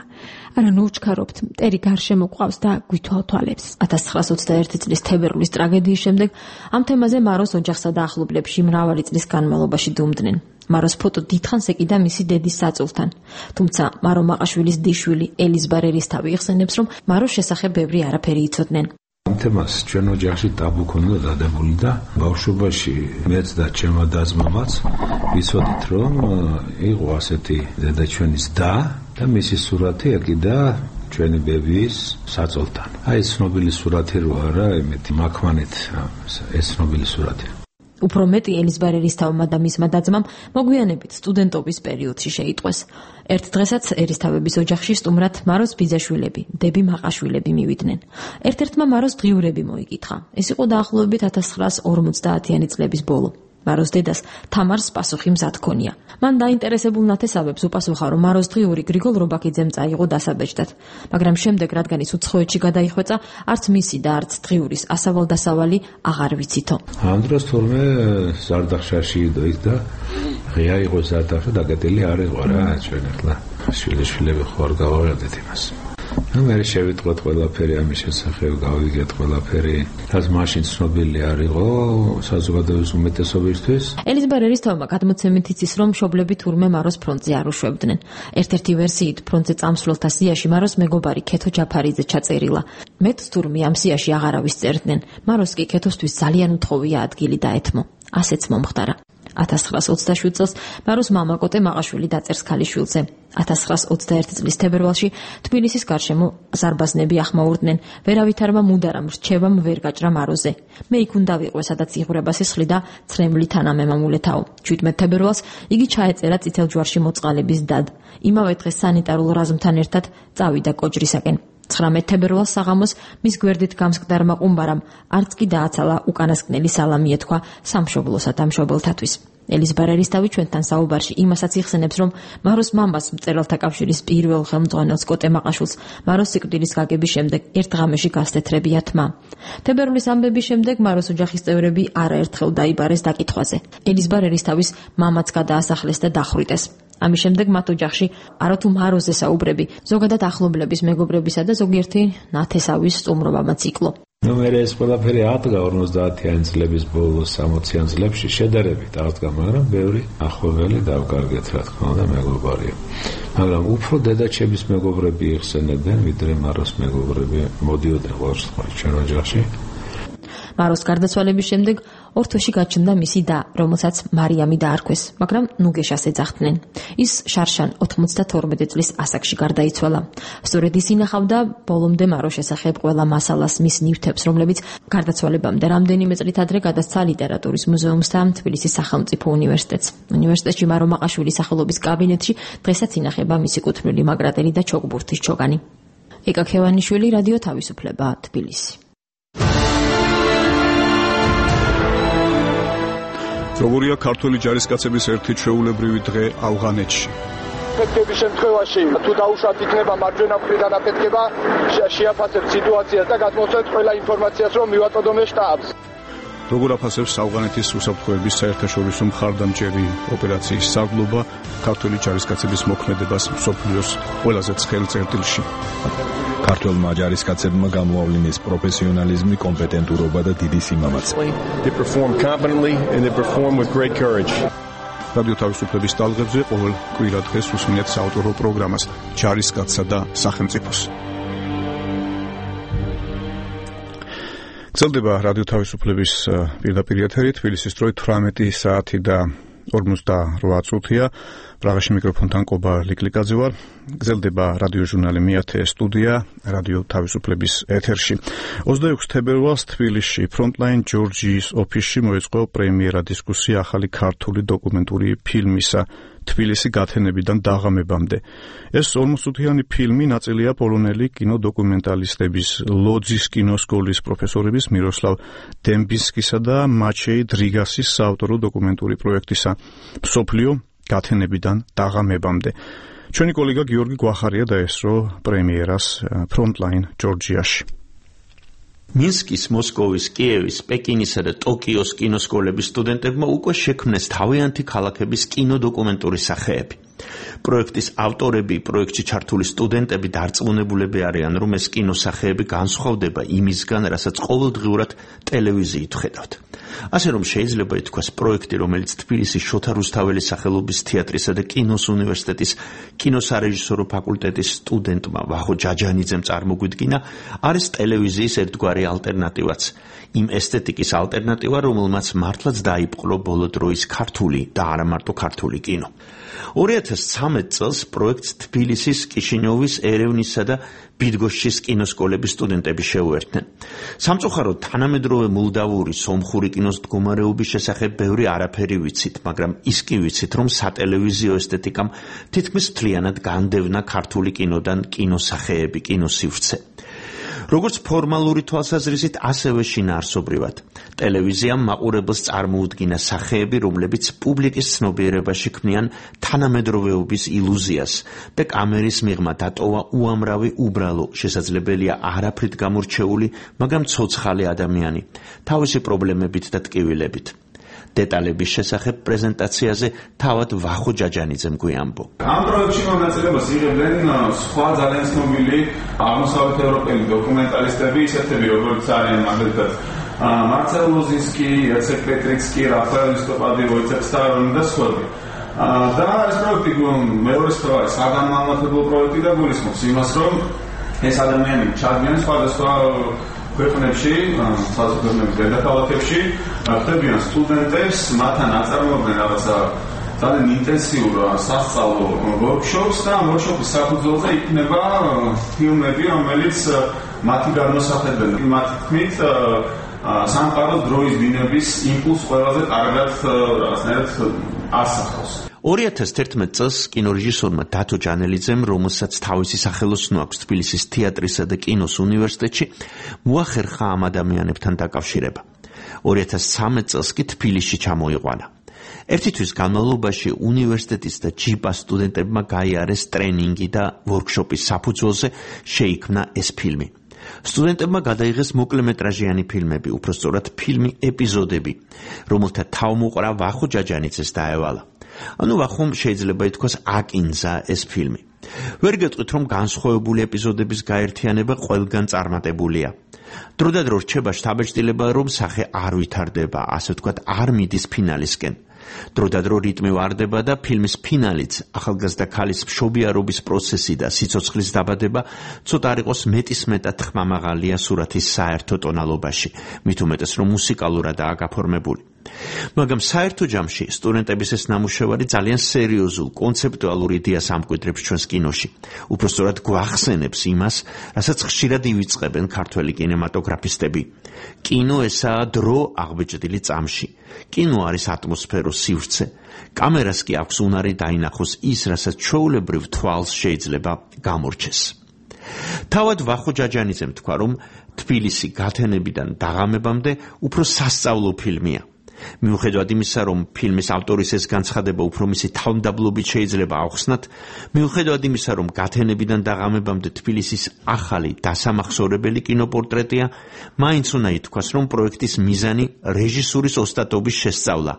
არა ნუ ვჩქარობთ, მტერი გარშემო გვყავს და გვითვალ თვალებს." ათას ცხრაასი ოცდაერთი წლის თებერვლის ტრაგედიის შემდეგ ამ თემაზე მაროს ოჯახსა და ახლობლებში მრავალი წლის განმავლობაში დუმდნენ. მაროს ფოტო დიდხანს ეკიდა მისი დედის საწულთან. თუმცა მარო მაყაშვილის დიშვილი ელიზბარ ერისთავი იხსენებს, რომ მაროს შესახებ ბევრი არაფერი იცოდნენ. ამ თემას ჩვენ ოჯახში ტაბუ ქონდა დადებული და ბავშვობაში მეც და ჩემმა და-ძმამაც ვიცოდით, რომ იყო ასეთი დედაჩვენის და და მისი სურათი ეკიდა ჩვენი ბებიის საწოლთან. აი ცნობილი სურათი რო არა, იმეთი მაქმანით ეს ცნობილი სურათი. უფრო მეტი ელიზბარ ერისთავმა და მისმა და-ძმამ მოგვიანებით სტუდენტობის პერიოდში შეიტყვეს. ერთ დღესაც ერისთავების ოჯახში სტუმრად მაროს ბიძაშვილები, დები მაყაშვილები მივიდნენ. ერთ-ერთმა მაროს დღიურები მოიკითხა. ეს იყო დაახლოებით ათას ცხრაასი ორმოცდაათიანი წლების ბოლო. მაროს დედას თამარს პასუხი მზად ჰქონია. მან დაინტერესებულ ნათესავებს უპასუხა, რომ მაროს დღიური გრიგოლ რობაქიძემ წაიღო დასაბეჭდად, მაგრამ შემდეგ, რადგან ის უცხოეთში გადაიხვეწა, არც მისი და არც დღიურის ასავალ-დასავალი აღარ ვიცითო. ამ დროს თურმე ზარდახშაში იდოით და ღია იყო ზარდახში დაკეტილი არ იყო რა, ჩვენ ახლა შვილიშვილები ხო არ გავაღებდეთ იმას. ნუ მე შევიტყვეთ ყველაფერი ამის შესახებ, გავიგეთ ყველაფერი, რაც მაშინ ცნობილი არ იყო საზოგადოების უმეტესობისთვის. ელიზბარ ერისთავმა გადმოცემით იცის, რომ მშობლები თურმე მაროს ფრონტზე არ უშვებდნენ. ერთ-ერთი ვერსიით ფრონტზე წამსვლელთა სიაში მაროს მეგობარი ქეთო ჯაფარიძე ჩაწერილა. მეტს თურმე ამ სიაში აღარავის წერდნენ. მაროს კი ქეთოსთვის ძალიან უთხოვია ადგილი დაეთმო. ასეც მომხდარა. ათას ცხრაასი ოცდაშვიდ წელს მაროს მამა კოტე მაყაშვილი დაწერს ქალიშვილზე. ათას ცხრაასი ოცდაერთი წლის თებერვალში თბილისის გარშემო ზარბაზნები ახმაურდნენ. ვერავითარმა მუდარამ რჩევამ ვერ გაჭრა მაროზე. მე იქ უნდა ვიყო, სადაც იღვრება სისხლი და ცრემლი თანამემამულეთაო. შვიდმეტ თებერვალს იგი ჩაეწერა წითელ ჯვარში მოწყალების დად. იმავე დღეს სანიტარულ რაზმთან ერთად წავიდა კოჯრისაკენ. ცხრამეტ თებერვალს საღამოს მის გვერდით გამსკდარმა ყუმბარამ არც კი დააცალა უკანასკნელი სალამი ეთქვა სამშობლოსა და მშობელთათვის. ელიზბარ ერისთავი ჩვენთან საუბარში იმასაც იხსენებს, რომ მაროს მამას მწერალთა კავშირის პირველ ხელმძღვანელს კოტე მაყაშვილს მაროს სიკვდილის გაგების შემდეგ ერთ ღამეში გასთეთრებია თმა. თებერვლის ამბების შემდეგ მაროს ოჯახის წევრები არაერთხელ დაიბარეს დაკითხვაზე. ელიზბარ ერისთავის მამაც გადაასახლეს და დახვრიტეს. ამის შემდეგ მათ ოჯახში არათუ მაროზე საუბრები, ზოგადად ახლობლების, მეგობრებისა და ზოგიერთი ნათესავის სტუმრობამაც იკლო. ნუ მე ეს ყველაფერი ათგა ორმოცდაათიანი წლების ბოლოს სამოციან წლებში შედარებით აღდგა, მაგრამ ბევრი ახლობელი დავკარგეთ, რა თქმა უნდა, მეგობარია. მაგრამ უფრო დედაჩების მეგობრები იხსენებდნენ, ვიდრე მაროს მეგობრები მოდიოდნენ ყოველთვის ჩვენ ოჯახში. მაროს გარდაცვალების შემდეგ ორ თვეში გაჩნდა მისი და, რომელსაც მარიამი დაარქვეს, მაგრამ ნუგეშას ეძახდნენ. ის შარშან ოთხმოცდათორმეტი წლის ასაკში გარდაიცვალა. სწორედ ის ინახავდა ბოლომდე მაროს შესახებ ყველა მასალას, მის ნივთებს, რომლებიც გარდაცვალებამდე რამდენიმე წლით ადრე გადასცა ლიტერატურის მუზეუმს და თბილისის სახელმწიფო უნივერსიტეტს. უნივერსიტეტში მარო მაყაშვილის სახელობის კაბინეტში დღესაც ინახება მისი კუთვნილი მაგრატელი და ჩოგბურთის ჩოგანი. ეკა ქევანიშვილი, რადიო თავისუფლება, თბილისი. როგორია ქართველი ჯარისკაცების ერთი ჩვეულებრივი დღე ავღანეთში? აფეთქების შემთხვევაში თუ დაუშვათ იქნება მარჯვენა მხრიდან აფეთქება, შეაფასებთ სიტუაციას და გადმოსცემთ ყველა ინფორმაციას, რომ მივაწოდოთ შტაბს. როგორ აფასებს ავღანეთის უსაფრთხოების საერთაშორისო მხარდამჭერი ოპერაციის სარდლობა ქართველი ჯარისკაცების მოქმედებას მსოფლიოს ყველაზე ცხელ წერტილში? ქართველმა ჯარისკაცებმა გამოავლინეს პროფესიონალიზმი, კომპეტენტურობა და დიდი სიმამაცე. They perform competently and they perform with great courage. რადიო თავისუფლების ტალღებზე ყოველ კვირა დღეს უსმინეთ საავტორო პროგრამას ჯარისკაცსა და სახელმწიფოს. გრძელდება რადიო თავისუფლების პირდაპირ ეთერი, თბილისის დროით თვრამეტი საათი და ორმოცდაოთხ წუთია. პრაღაში მიკროფონთან კობა ლიკლიკაძე ვარ. გრძელდება რადიო ჟურნალი მეათე სტუდია რადიო თავისუფლების ეთერში. ოცდაექვსი თებერვალს თბილისში Frontline Georgies ოფისში მოეწყო პრემიერა დისკუსია ახალი ქართული დოკუმენტური ფილმისა თბილისი გათენებიდან დაღამებამდე. ეს ორმოცდაოთხიანი ფილმი ნაწილია პოლონელი კინოდოკუმენტალისტების ლოძის კინოსკოლის პროფესორების მიროსლავ დემბისკისა და მაჩეი დრიგასის საავტორო დოკუმენტური პროექტისა მსოფლიო გათენებიდან დაღამებამდე. ჩვენი კოლეგა გიორგი გვახარია დაესწრო პრემიერას Frontline Georgiaში. მინსკის, მოსკოვის, კიევის, პეკინისა და ტოკიოს კინოსკოლების სტუდენტებმა უკვე შექმნეს თავიანთი ქალაქების კინოდოკუმენტური სახეები. პროექტის ავტორები, პროექტში ჩართული სტუდენტები დარწმუნებულები არიან, რომ ეს კინოსახეები განსხვავდება იმისგან, რასაც ყოველდღიურად ტელევიზიით ხედავთ. ასე რომ შეიძლება ითქვას, პროექტი, რომელიც თბილისის შოთა რუსთაველის სახელობის თეატრისა და კინოს უნივერსიტეტის კინოსარეჟისორო ფაკულტეტის სტუდენტმა ვახო ჯაჯანიძემ წარმოგვიდგინა, არის ტელევიზიის ერთგვარი ალტერნატივაც. იმ ესთეტიკის ალტერნატივა, რომელმაც მართლაც დაიპყრო ბოლო დროის ქართული და არა მარტო ქართული კინო. ორი ათას ცხრამეტ წელს პროექტს თბილისის, კიშინიოვის, ერევნისა და ბიდგოშჩის კინოსკოლების სტუდენტები შეუერთდნენ. სამწუხაროდ, თანამედროვე მოლდავური სომხური კინოს მდგომარეობის შესახებ ბევრი არაფერი ვიცით, მაგრამ ის კი ვიცით, რომ სატელევიზიო ესთეტიკამ თითქმის მთლიანად განდევნა ქართული კინოდან კინოსახეები, კინოსივრცე. როგორც ფორმალური თვალსაზრისით, ასევე შინაარსობრივად. ტელევიზიამ მაყურებელს წარმოუდგინა სახეები, რომლებიც პუბლიკის ცნობიერებაში ქმნიან თანამედროვეობის ილუზიას და კამერის მიღმა დატოვა უამრავი უბრალო, შესაძლებელია არაფრით გამორჩეული, მაგრამ ცოცხალი ადამიანი, თავისი პრობლემებით და ტკივილებით. დეტალების შესახებ პრეზენტაციაზე თავად ვახო ჯაჯანიძემ გვიამბო. ამ პროექტში მონაწილეობას იღებდნენ სხვა ძალიან ცნობილი აღმოსავლეთ ევროპელი დოკუმენტალისტები, ისეთები როგორც არიან მაგალითად მარცელ ლოზინსკი, იაცეკ პეტრიცკი, რაფაელ ლისტოპადი, ვოიცექ სტარონი და სხვები. და ეს პროექტი მეორე სხვა არის საგანმანათლებლო პროექტი და გულისხმობს იმას, რომ ეს ადამიანები ჩადგნენ სხვადასხვა ქვეყნებში, საზოგადოების დედაქალაქებში, ხდებიან სტუდენტებს, მათთან აწარმოებენ რაღაცა ძალიან ინტენსიურ სასწავლო ვორქშოპს და ამ ვორქშოპის საფუძველზე იქნება ფილმები, რომელიც მათი განმოსახებენ. მათი თქმით, სამყაროს დროის დინების იმპულსს ყველაზე კარგად რაღაცნაირად ასახავს. ორი ათას თერთმეტ წელს კინორეჟისორმა დათო ჯანელიძემ, რომელსაც თავისი სახელოსნო აქვს თბილისის თეატრისა და კინოს უნივერსიტეტში, მოახერხა ამ ადამიანებთან დაკავშირება. ორი ათას ცხრამეტ წელს კი თბილისში ჩამოიყვანა. ერთი თვის განმავლობაში უნივერსიტეტის და ჯიპას სტუდენტებმა გაიარეს ტრენინგი და ვორქშოპის საფუძველზე შეიქმნა ეს ფილმი. სტუდენტებმა გადაიღეს მოკლემეტრაჟიანი ფილმები, უпростоრად ფილმი ეპიზოდები, რომელთა თავმოყრა ვახო ჯაჯანიძეს დაევალა. ანუ ვახომ შეიძლება ითქვას აკინძა ეს ფილმი. ვერ გეტყვით, რომ განსხვავებული ეპიზოდების გაერთიანება ყველგან წარმატებულია. დროდადრო რჩება შთაბეჭდილება, რომ სახე არ ვითარდება, ასე ვთქვათ, არ მიდის ფინალისკენ. დროდადრო რიტმი ვარდება და ფილმის ფინალიც, ახალგაზრდა ქალის მშობიარობის პროცესი და სიცოცხლის დაბადება ცოტა არ იყოს მეტისმეტად ხმამაღალია სურათის საერთო ტონალობაში, მით უმეტეს რომ მუსიკალურადაა გაფორმებული. მაგრამ საერთო ჯამში სტუდენტების ეს ნამუშევარი ძალიან სერიოზულ, კონცეპტუალურ იდეას ამკვიდრებს ჩვენს კინოში. უпростоრად გვახსენებს იმას, რასაც ხშირად ივიწყებენ ქართველი კინემატოგრაფისტები. კინო ესაა დრო აღბეჭდილი წამში. კინო არის ატმოსფეროს სივრცე. კამერას კი აქვს უნარი დაინახოს ის, რასაც ჩვეულებრივ თვალს შეიძლება გამორჩეს. თავად ვახო ჯაჯანიძემ თქვა, რომ თბილისი გათენებიდან დაღამებამდე უფრო სასწავლო ფილმია. მიუხედავად იმისა, რომ ფილმის ავტორის ეს განცხადება უფრო მისი თავმდაბლობით შეიძლება ავხსნათ, მიუხედავად იმისა, რომ გათენებიდან დაღამებამდე თბილისის ახალი დასამახსოვრებელი კინოპორტრეტია, მაინც უნდა ითქვას, რომ პროექტის მიზანი რეჟისურის ოსტატობის შესწავლა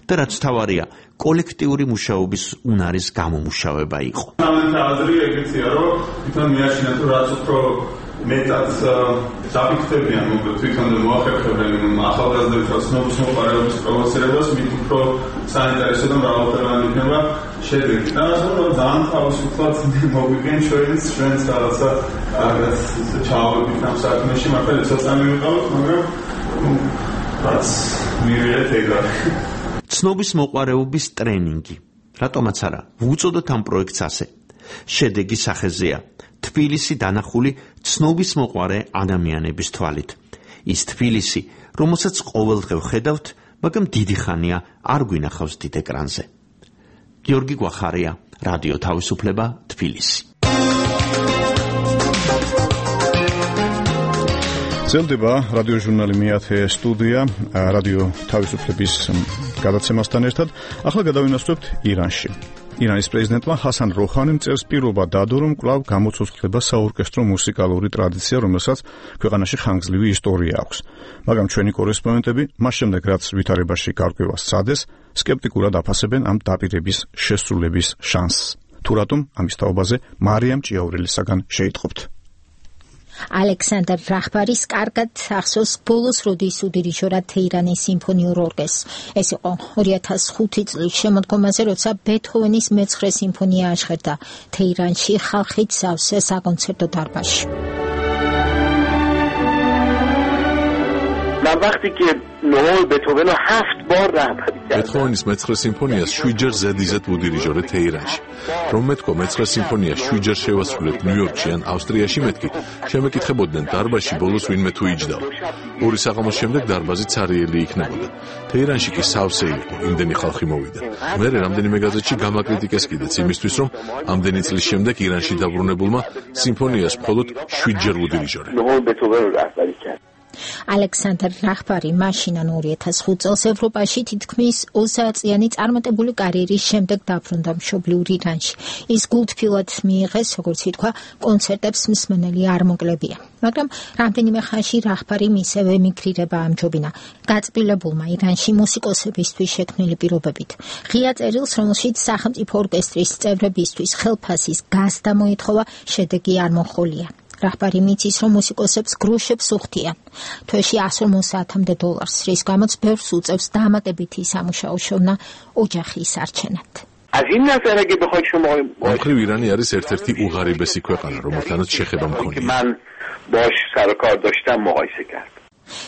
და რაც თავარია, კოლექტიური მუშაობის უნარის გამომუშავება იყო. აზრი ეგეცია, რომ თვითონ მიაშინათ, რომ რაც უფრო მეტად დაფიქრდებიან თვითონ მოახერხებენ ახალგაზრდების ცნობის მოყარების პროვოცირებას, მით უფრო საინტერესო და მრავალფეროვანი იქნება შედეგი. და ასე რომ ძალიან თავისუფლად მოგვიგენ ჩვენს ჩვენს რაღაცა კარგად ჩავავებით ამ საქმეში, მართლა ცოტა მივიყავთ, მაგრამ რაც მივიღეთ ეგრე. ცნობის მოყვარეობის ტრენინგი. რატომაც არა, ვუწოდოთ ამ პროექტს ასე. შედეგი სახეზეა. თბილისი დანახული ცნობის მოყვარე ადამიანების თვალით. ის თბილისი, რომელსაც ყოველდღე ვხედავთ, მაგრამ დიდი ხანია არ გვინახავს დიდ ეკრანზე. გიორგი გვახარია, რადიო თავისუფლება, თბილისი. ძლდება რადიო ჟურნალი მეათე სტუდია, რადიო თავისუფლების გადაცემასთან ერთად. ახლა გადავინაცვლებთ ირანში. ირანის პრეზიდენტმა ჰასან როჰანიმ წერს პირობა დადო, რომ კვლავ გამოცოცხლდება საორკესტრო მუსიკალური ტრადიცია, რომელსაც ქვეყანაში ხანგრძლივი ისტორია აქვს. მაგრამ ჩვენი კორესპონდენტები მას შემდეგ, რაც ვითარებაში გარკვევა სცადეს, სკეპტიკურად აფასებენ ამ დაპირების შესრულების შანსს. თუ რატომ ამის თაობაზე მარიამ ჭიაურელისაგან შეიტყობთ. ალექსანდრ რახბარის კარგად ახსოვს ბოლოს როდის უდირიჟორად თეირანის სიმფონიურ ორკესტრს. ეს იყო ორი ათას ხუთი წლის შემოდგომაზე, როცა ბეთჰოვენის მეცხრე სიმფონია აშხერდა თეირანში ხალხით სავსე საკონცერტო დარბაზში. من وقتی که نوای بتهوون رو هفت بار رهبری کردم. بتهوvenis მეცხრე სიმფონიას შვიდჯერ ზედიზედ უდირიჟორე თეირანში. რომ მეთქვა მეცხრე სიმფონია შვიდჯერ შევასრულეთ ნიუ-იორკში ან ავსტრიაში, მეთქი შემეკითხებოდნენ დარბაზში ბოლოს ვინმე თუ იჯდა. ორი საღამოს შემდეგ დარბაზი ცარიელი იქნებოდა. თეირანში კი სავსე იყო, იმდენი ხალხი მოვიდა. მერე რამდენიმე გაზეთში გამაკრიტიკეს კიდეც იმისთვის, რომ ამდენი წლის შემდეგ ირანში დაბრუნებულმა სიმფონიას მხოლოდ შვიდჯერ უდირიჟორე. نوای بتهوون رو رهبری کرد. ალექსანდრ რახბარი მაშინან ორი ათას ხუთი წელს ევროპაში თითქმის ოცდაათწლიანი წარმატებული კარიერის შემდეგ დაბრუნდა მშობლიურ ირანში. ის გულთბილად მიიღეს, როგორც ითქვა, კონცერტებს მსმენელი არ მოკლებია. მაგრამ რამდენიმე ხანში რახბარი მისევ ემიგრირება ამჯობინა გაწყვილებულმა ირანში მუსიკოსებისთვის შექმნილი პირობებით. ღია წერილს, რომელშიც სახელმწიფო ორკესტრის წევრებისთვის ხელფასის გასდა მოითხოვა, შედეგი არ მოჰყოლია. რახბარი მიცის, რომ მუსიკოსებს გროშებს უხდიან თვეში ასი ორმოცდაათამდე დოლარს, რის გამოც ბევრს უწევს დამატებითი სამუშაო შოვნა ოჯახის არჩენად. از این نظر اگه بخواید شما آخری ایرانی არის ერთ-ერთი უღარიბესი ქვეყანა, რომელთანაც შეხება მქონია. من باش سر و کار داشتم مقایسه کرد.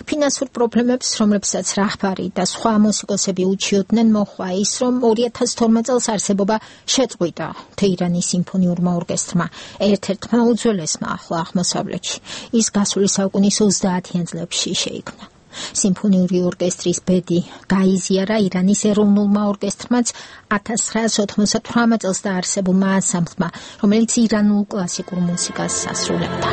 ფინანსურ პრობლემებს, რომლებსაც რახბარი და სხვა მუსიკოსები უჩიოდნენ, მოჰყვა ის, რომ ორი ათას თორმეტ წელს არსებობა შეწყვიტა თეირანის სიმფონიურმა ორკესტრმა, ერთ-ერთმა უძველესმა ახლო აღმოსავლეთში. ის გასული საუკუნის ოცდაათიან წლებში შეიქმნა. სიმფონიური ორკესტრის ბედი გაიზიარა ირანის ეროვნულმა ორკესტრმაც ათას ცხრაას ოთხმოცდათვრამეტ წელს დაარსებულმა ანსამბლმა, რომელიც ირანულ კლასიკურ მუსიკას ასრულებდა.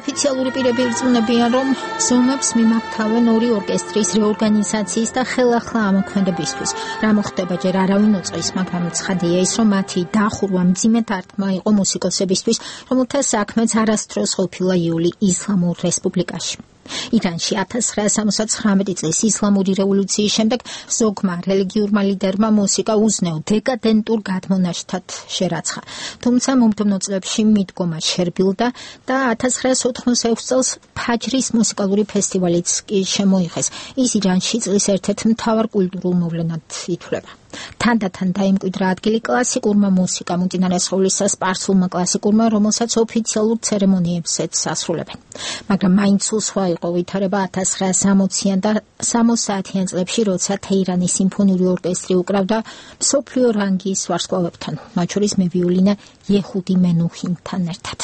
ოფიციალური პირები ირწმუნებიან, რომ ზომებს მიმართავენ ორი ორკესტრის რეორგანიზაციის და ხელახლა ამოქმედებისთვის. რა მოხდება ჯერ არავინ უწყის, მაგრამ ცხადია ის, რომ მათი დახურვა მძიმე დარტყმა იყო მუსიკოსებისთვის, რომელთა საქმეც არასდროს ყოფილა იული ისლამურ რესპუბლიკაში. ირანში ათას ცხრაას სამოცდათხრამეტი წლის ისლამური რევოლუციის შემდეგ ზოგმა რელიგიურმა ლიდერმა მუსიკა უზნეო დეკადენტურ გადმონაშთად შერაცხა. თუმცა მომდევნო წლებში მიდგომა შერბილდა და ათას ცხრაას ოთხმოცდაექვსი წელს ფაჯრის მუსიკალური ფესტივალიც კი შემოიღეს. ის ირანში წლის ერთ-ერთ მთავარ კულტურულ მოვლენად ითვლება. თანდათან დაიმკვიდრა ადგილი კლასიკურმა მუსიკამ, უწინარესყოვლისა სპარსულმა კლასიკურმა, რომელსაც ოფიციალურ ცერემონიებსაც ასრულებენ. მაგრამ მაინც უსხვა იყო ვითარება ათას ცხრაას სამოციან და სამოცდაათიან წლებში, როცა თეირანის სიმფონიური ორკესტრი უკრავდა მსოფლიო რანგის ვარსკვლავებთან, მათ შორის მევიოლინე იეჰუდი მენუჰინთან ერთად.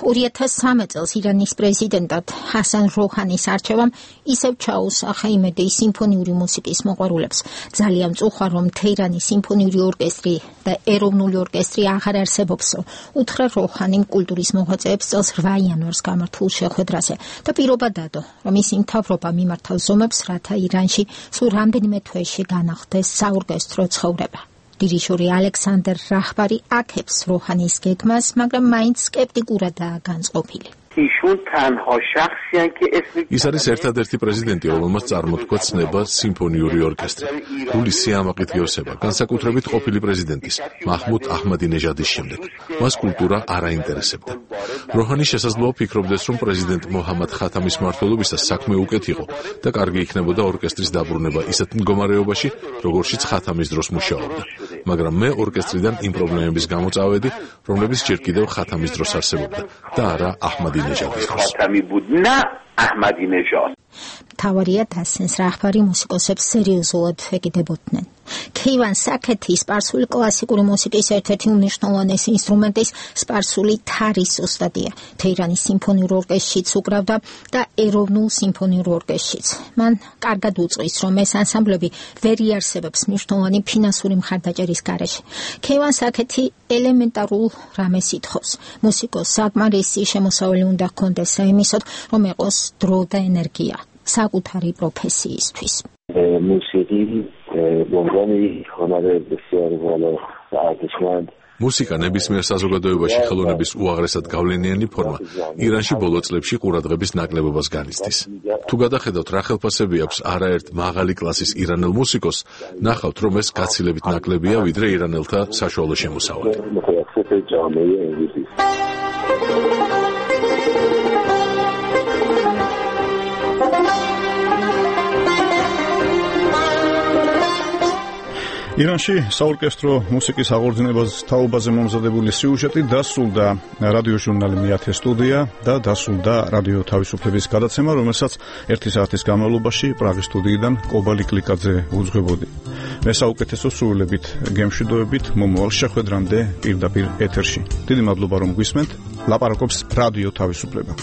ორი ათას სამი წელს ირანის პრეზიდენტად ჰასან როჰანის არჩევამ ისევ ჩაუსახა იმედი სიმფონიური მუსიკის მოყვარულებს. ძალიან მწუხარ, რომ თეირანის სიმფონიური ორკესტრი და ეროვნული ორკესტრი აღარ არსებობსო. უთხრა როჰანიმ კულტურის მოღვაწეებს წელს რვა იანვარს გამართულ შეხვედრაზე და პირობა დადო, რომ ის იმთავრობა მიმართავს ზომებს, რათა ირანში სულ რამდენიმე თვეში განახლდეს საორკესტრო ცხოვრება. დირიჟორი ალექსანდრ რახბარი აქებს როჰანის გეგმას, მაგრამ მაინც სკეპტიკურადაა განწყობილი. ایشون تنها شخصی هستند که اسم ის არის ერთადერთი პრეზიდენტი, რომელმაც წარმოთქვა ცნება სიმფონიური ორკესტრი. გული სიამაყით გევსება, განსაკუთრებით ყოფილი პრეზიდენტის, მაჰმუდ აჰმადინეჟადის შემდეგ. მას კულტურა არ აინტერესებდა. როჰანი შესაძლოა ფიქრობდეს, რომ პრეზიდენტ მოჰამად ხათამის მმართველობისას საქმე უკეთ იყო და კარგი იქნებოდა ორკესტრის დაბრუნება ისეთ მდგომარეობაში, როგორშიც ხათამის დროს მუშაობდა. მაგრამ მე ორკესტრიდან იმ პრობლემების გამო წავედი, რომლებიც ჯერ კიდევ ხათამის დროს არსებობდა და არა აჰმადინეჟადის დროს. ხათამი ბუდნა აჰმადინეჟად. თავარია დასენს რახვარი მუსიკოსებს სერიოზულად ეკიდებოდნენ. ქეივან საკეთი სპარსული კლასიკური მუსიკის ერთ-ერთი უმნიშვნელოვანესი ინსტრუმენტის სპარსული თარის ოსტატია. თეირანის სიმფონიურ ორკესტრშიც უკრავდა და ეროვნულ სიმფონიურ ორკესტრშიც. მან კარგად უწყვის, რომ ეს ანსამბლები ვერ იარსებებს მნიშვნელოვანი ფინანსური მხარდაჭერის გარეშე. ქეივან საკეთი ელემენტარულ რამეს ითხოვს. მუსიკოს საკმარისი შემოსავალი უნდა ჰქონდეს საიმისოდ, რომ ეყოს დრო და ენერგია საკუთარი პროფესიისთვის. موسیقی به عنوان هنر بسیار بالا و ارزشمند მუსიკა ნებისმიერ საზოგადოებაში ხელოვნების უაღრესად გავლენიანი ფორმა ირანში ბოლო წლებში ყურადღების ნაკლებობას განიცდის. თუ გადახედავთ რა ხელფასები აქვს არაერთ მაღალი კლასის ირანელ მუსიკოს, ნახავთ რომ ეს გაცილებით ნაკლებია ვიდრე ირანელთა საშუალო შემოსავალი. ირანში საორკესტრო მუსიკის აღორძინებას თაობაზე მომზადებული სიუჟეტი დასრულდა რადიოჟურნალი მეათე სტუდია და დასრულდა რადიო თავისუფლების გადაცემა, რომელსაც ერთი საათის განმავლობაში პრაღის სტუდიიდან კობალი კლიკაძე უძღვებოდი. მე საუკეთესო სრულებით გემშვიდობებით მომავალ შეხვედრამდე პირდაპირ ეთერში. დიდი მადლობა რომ გვისმენთ. ლაპარაკობს რადიო თავისუფლება.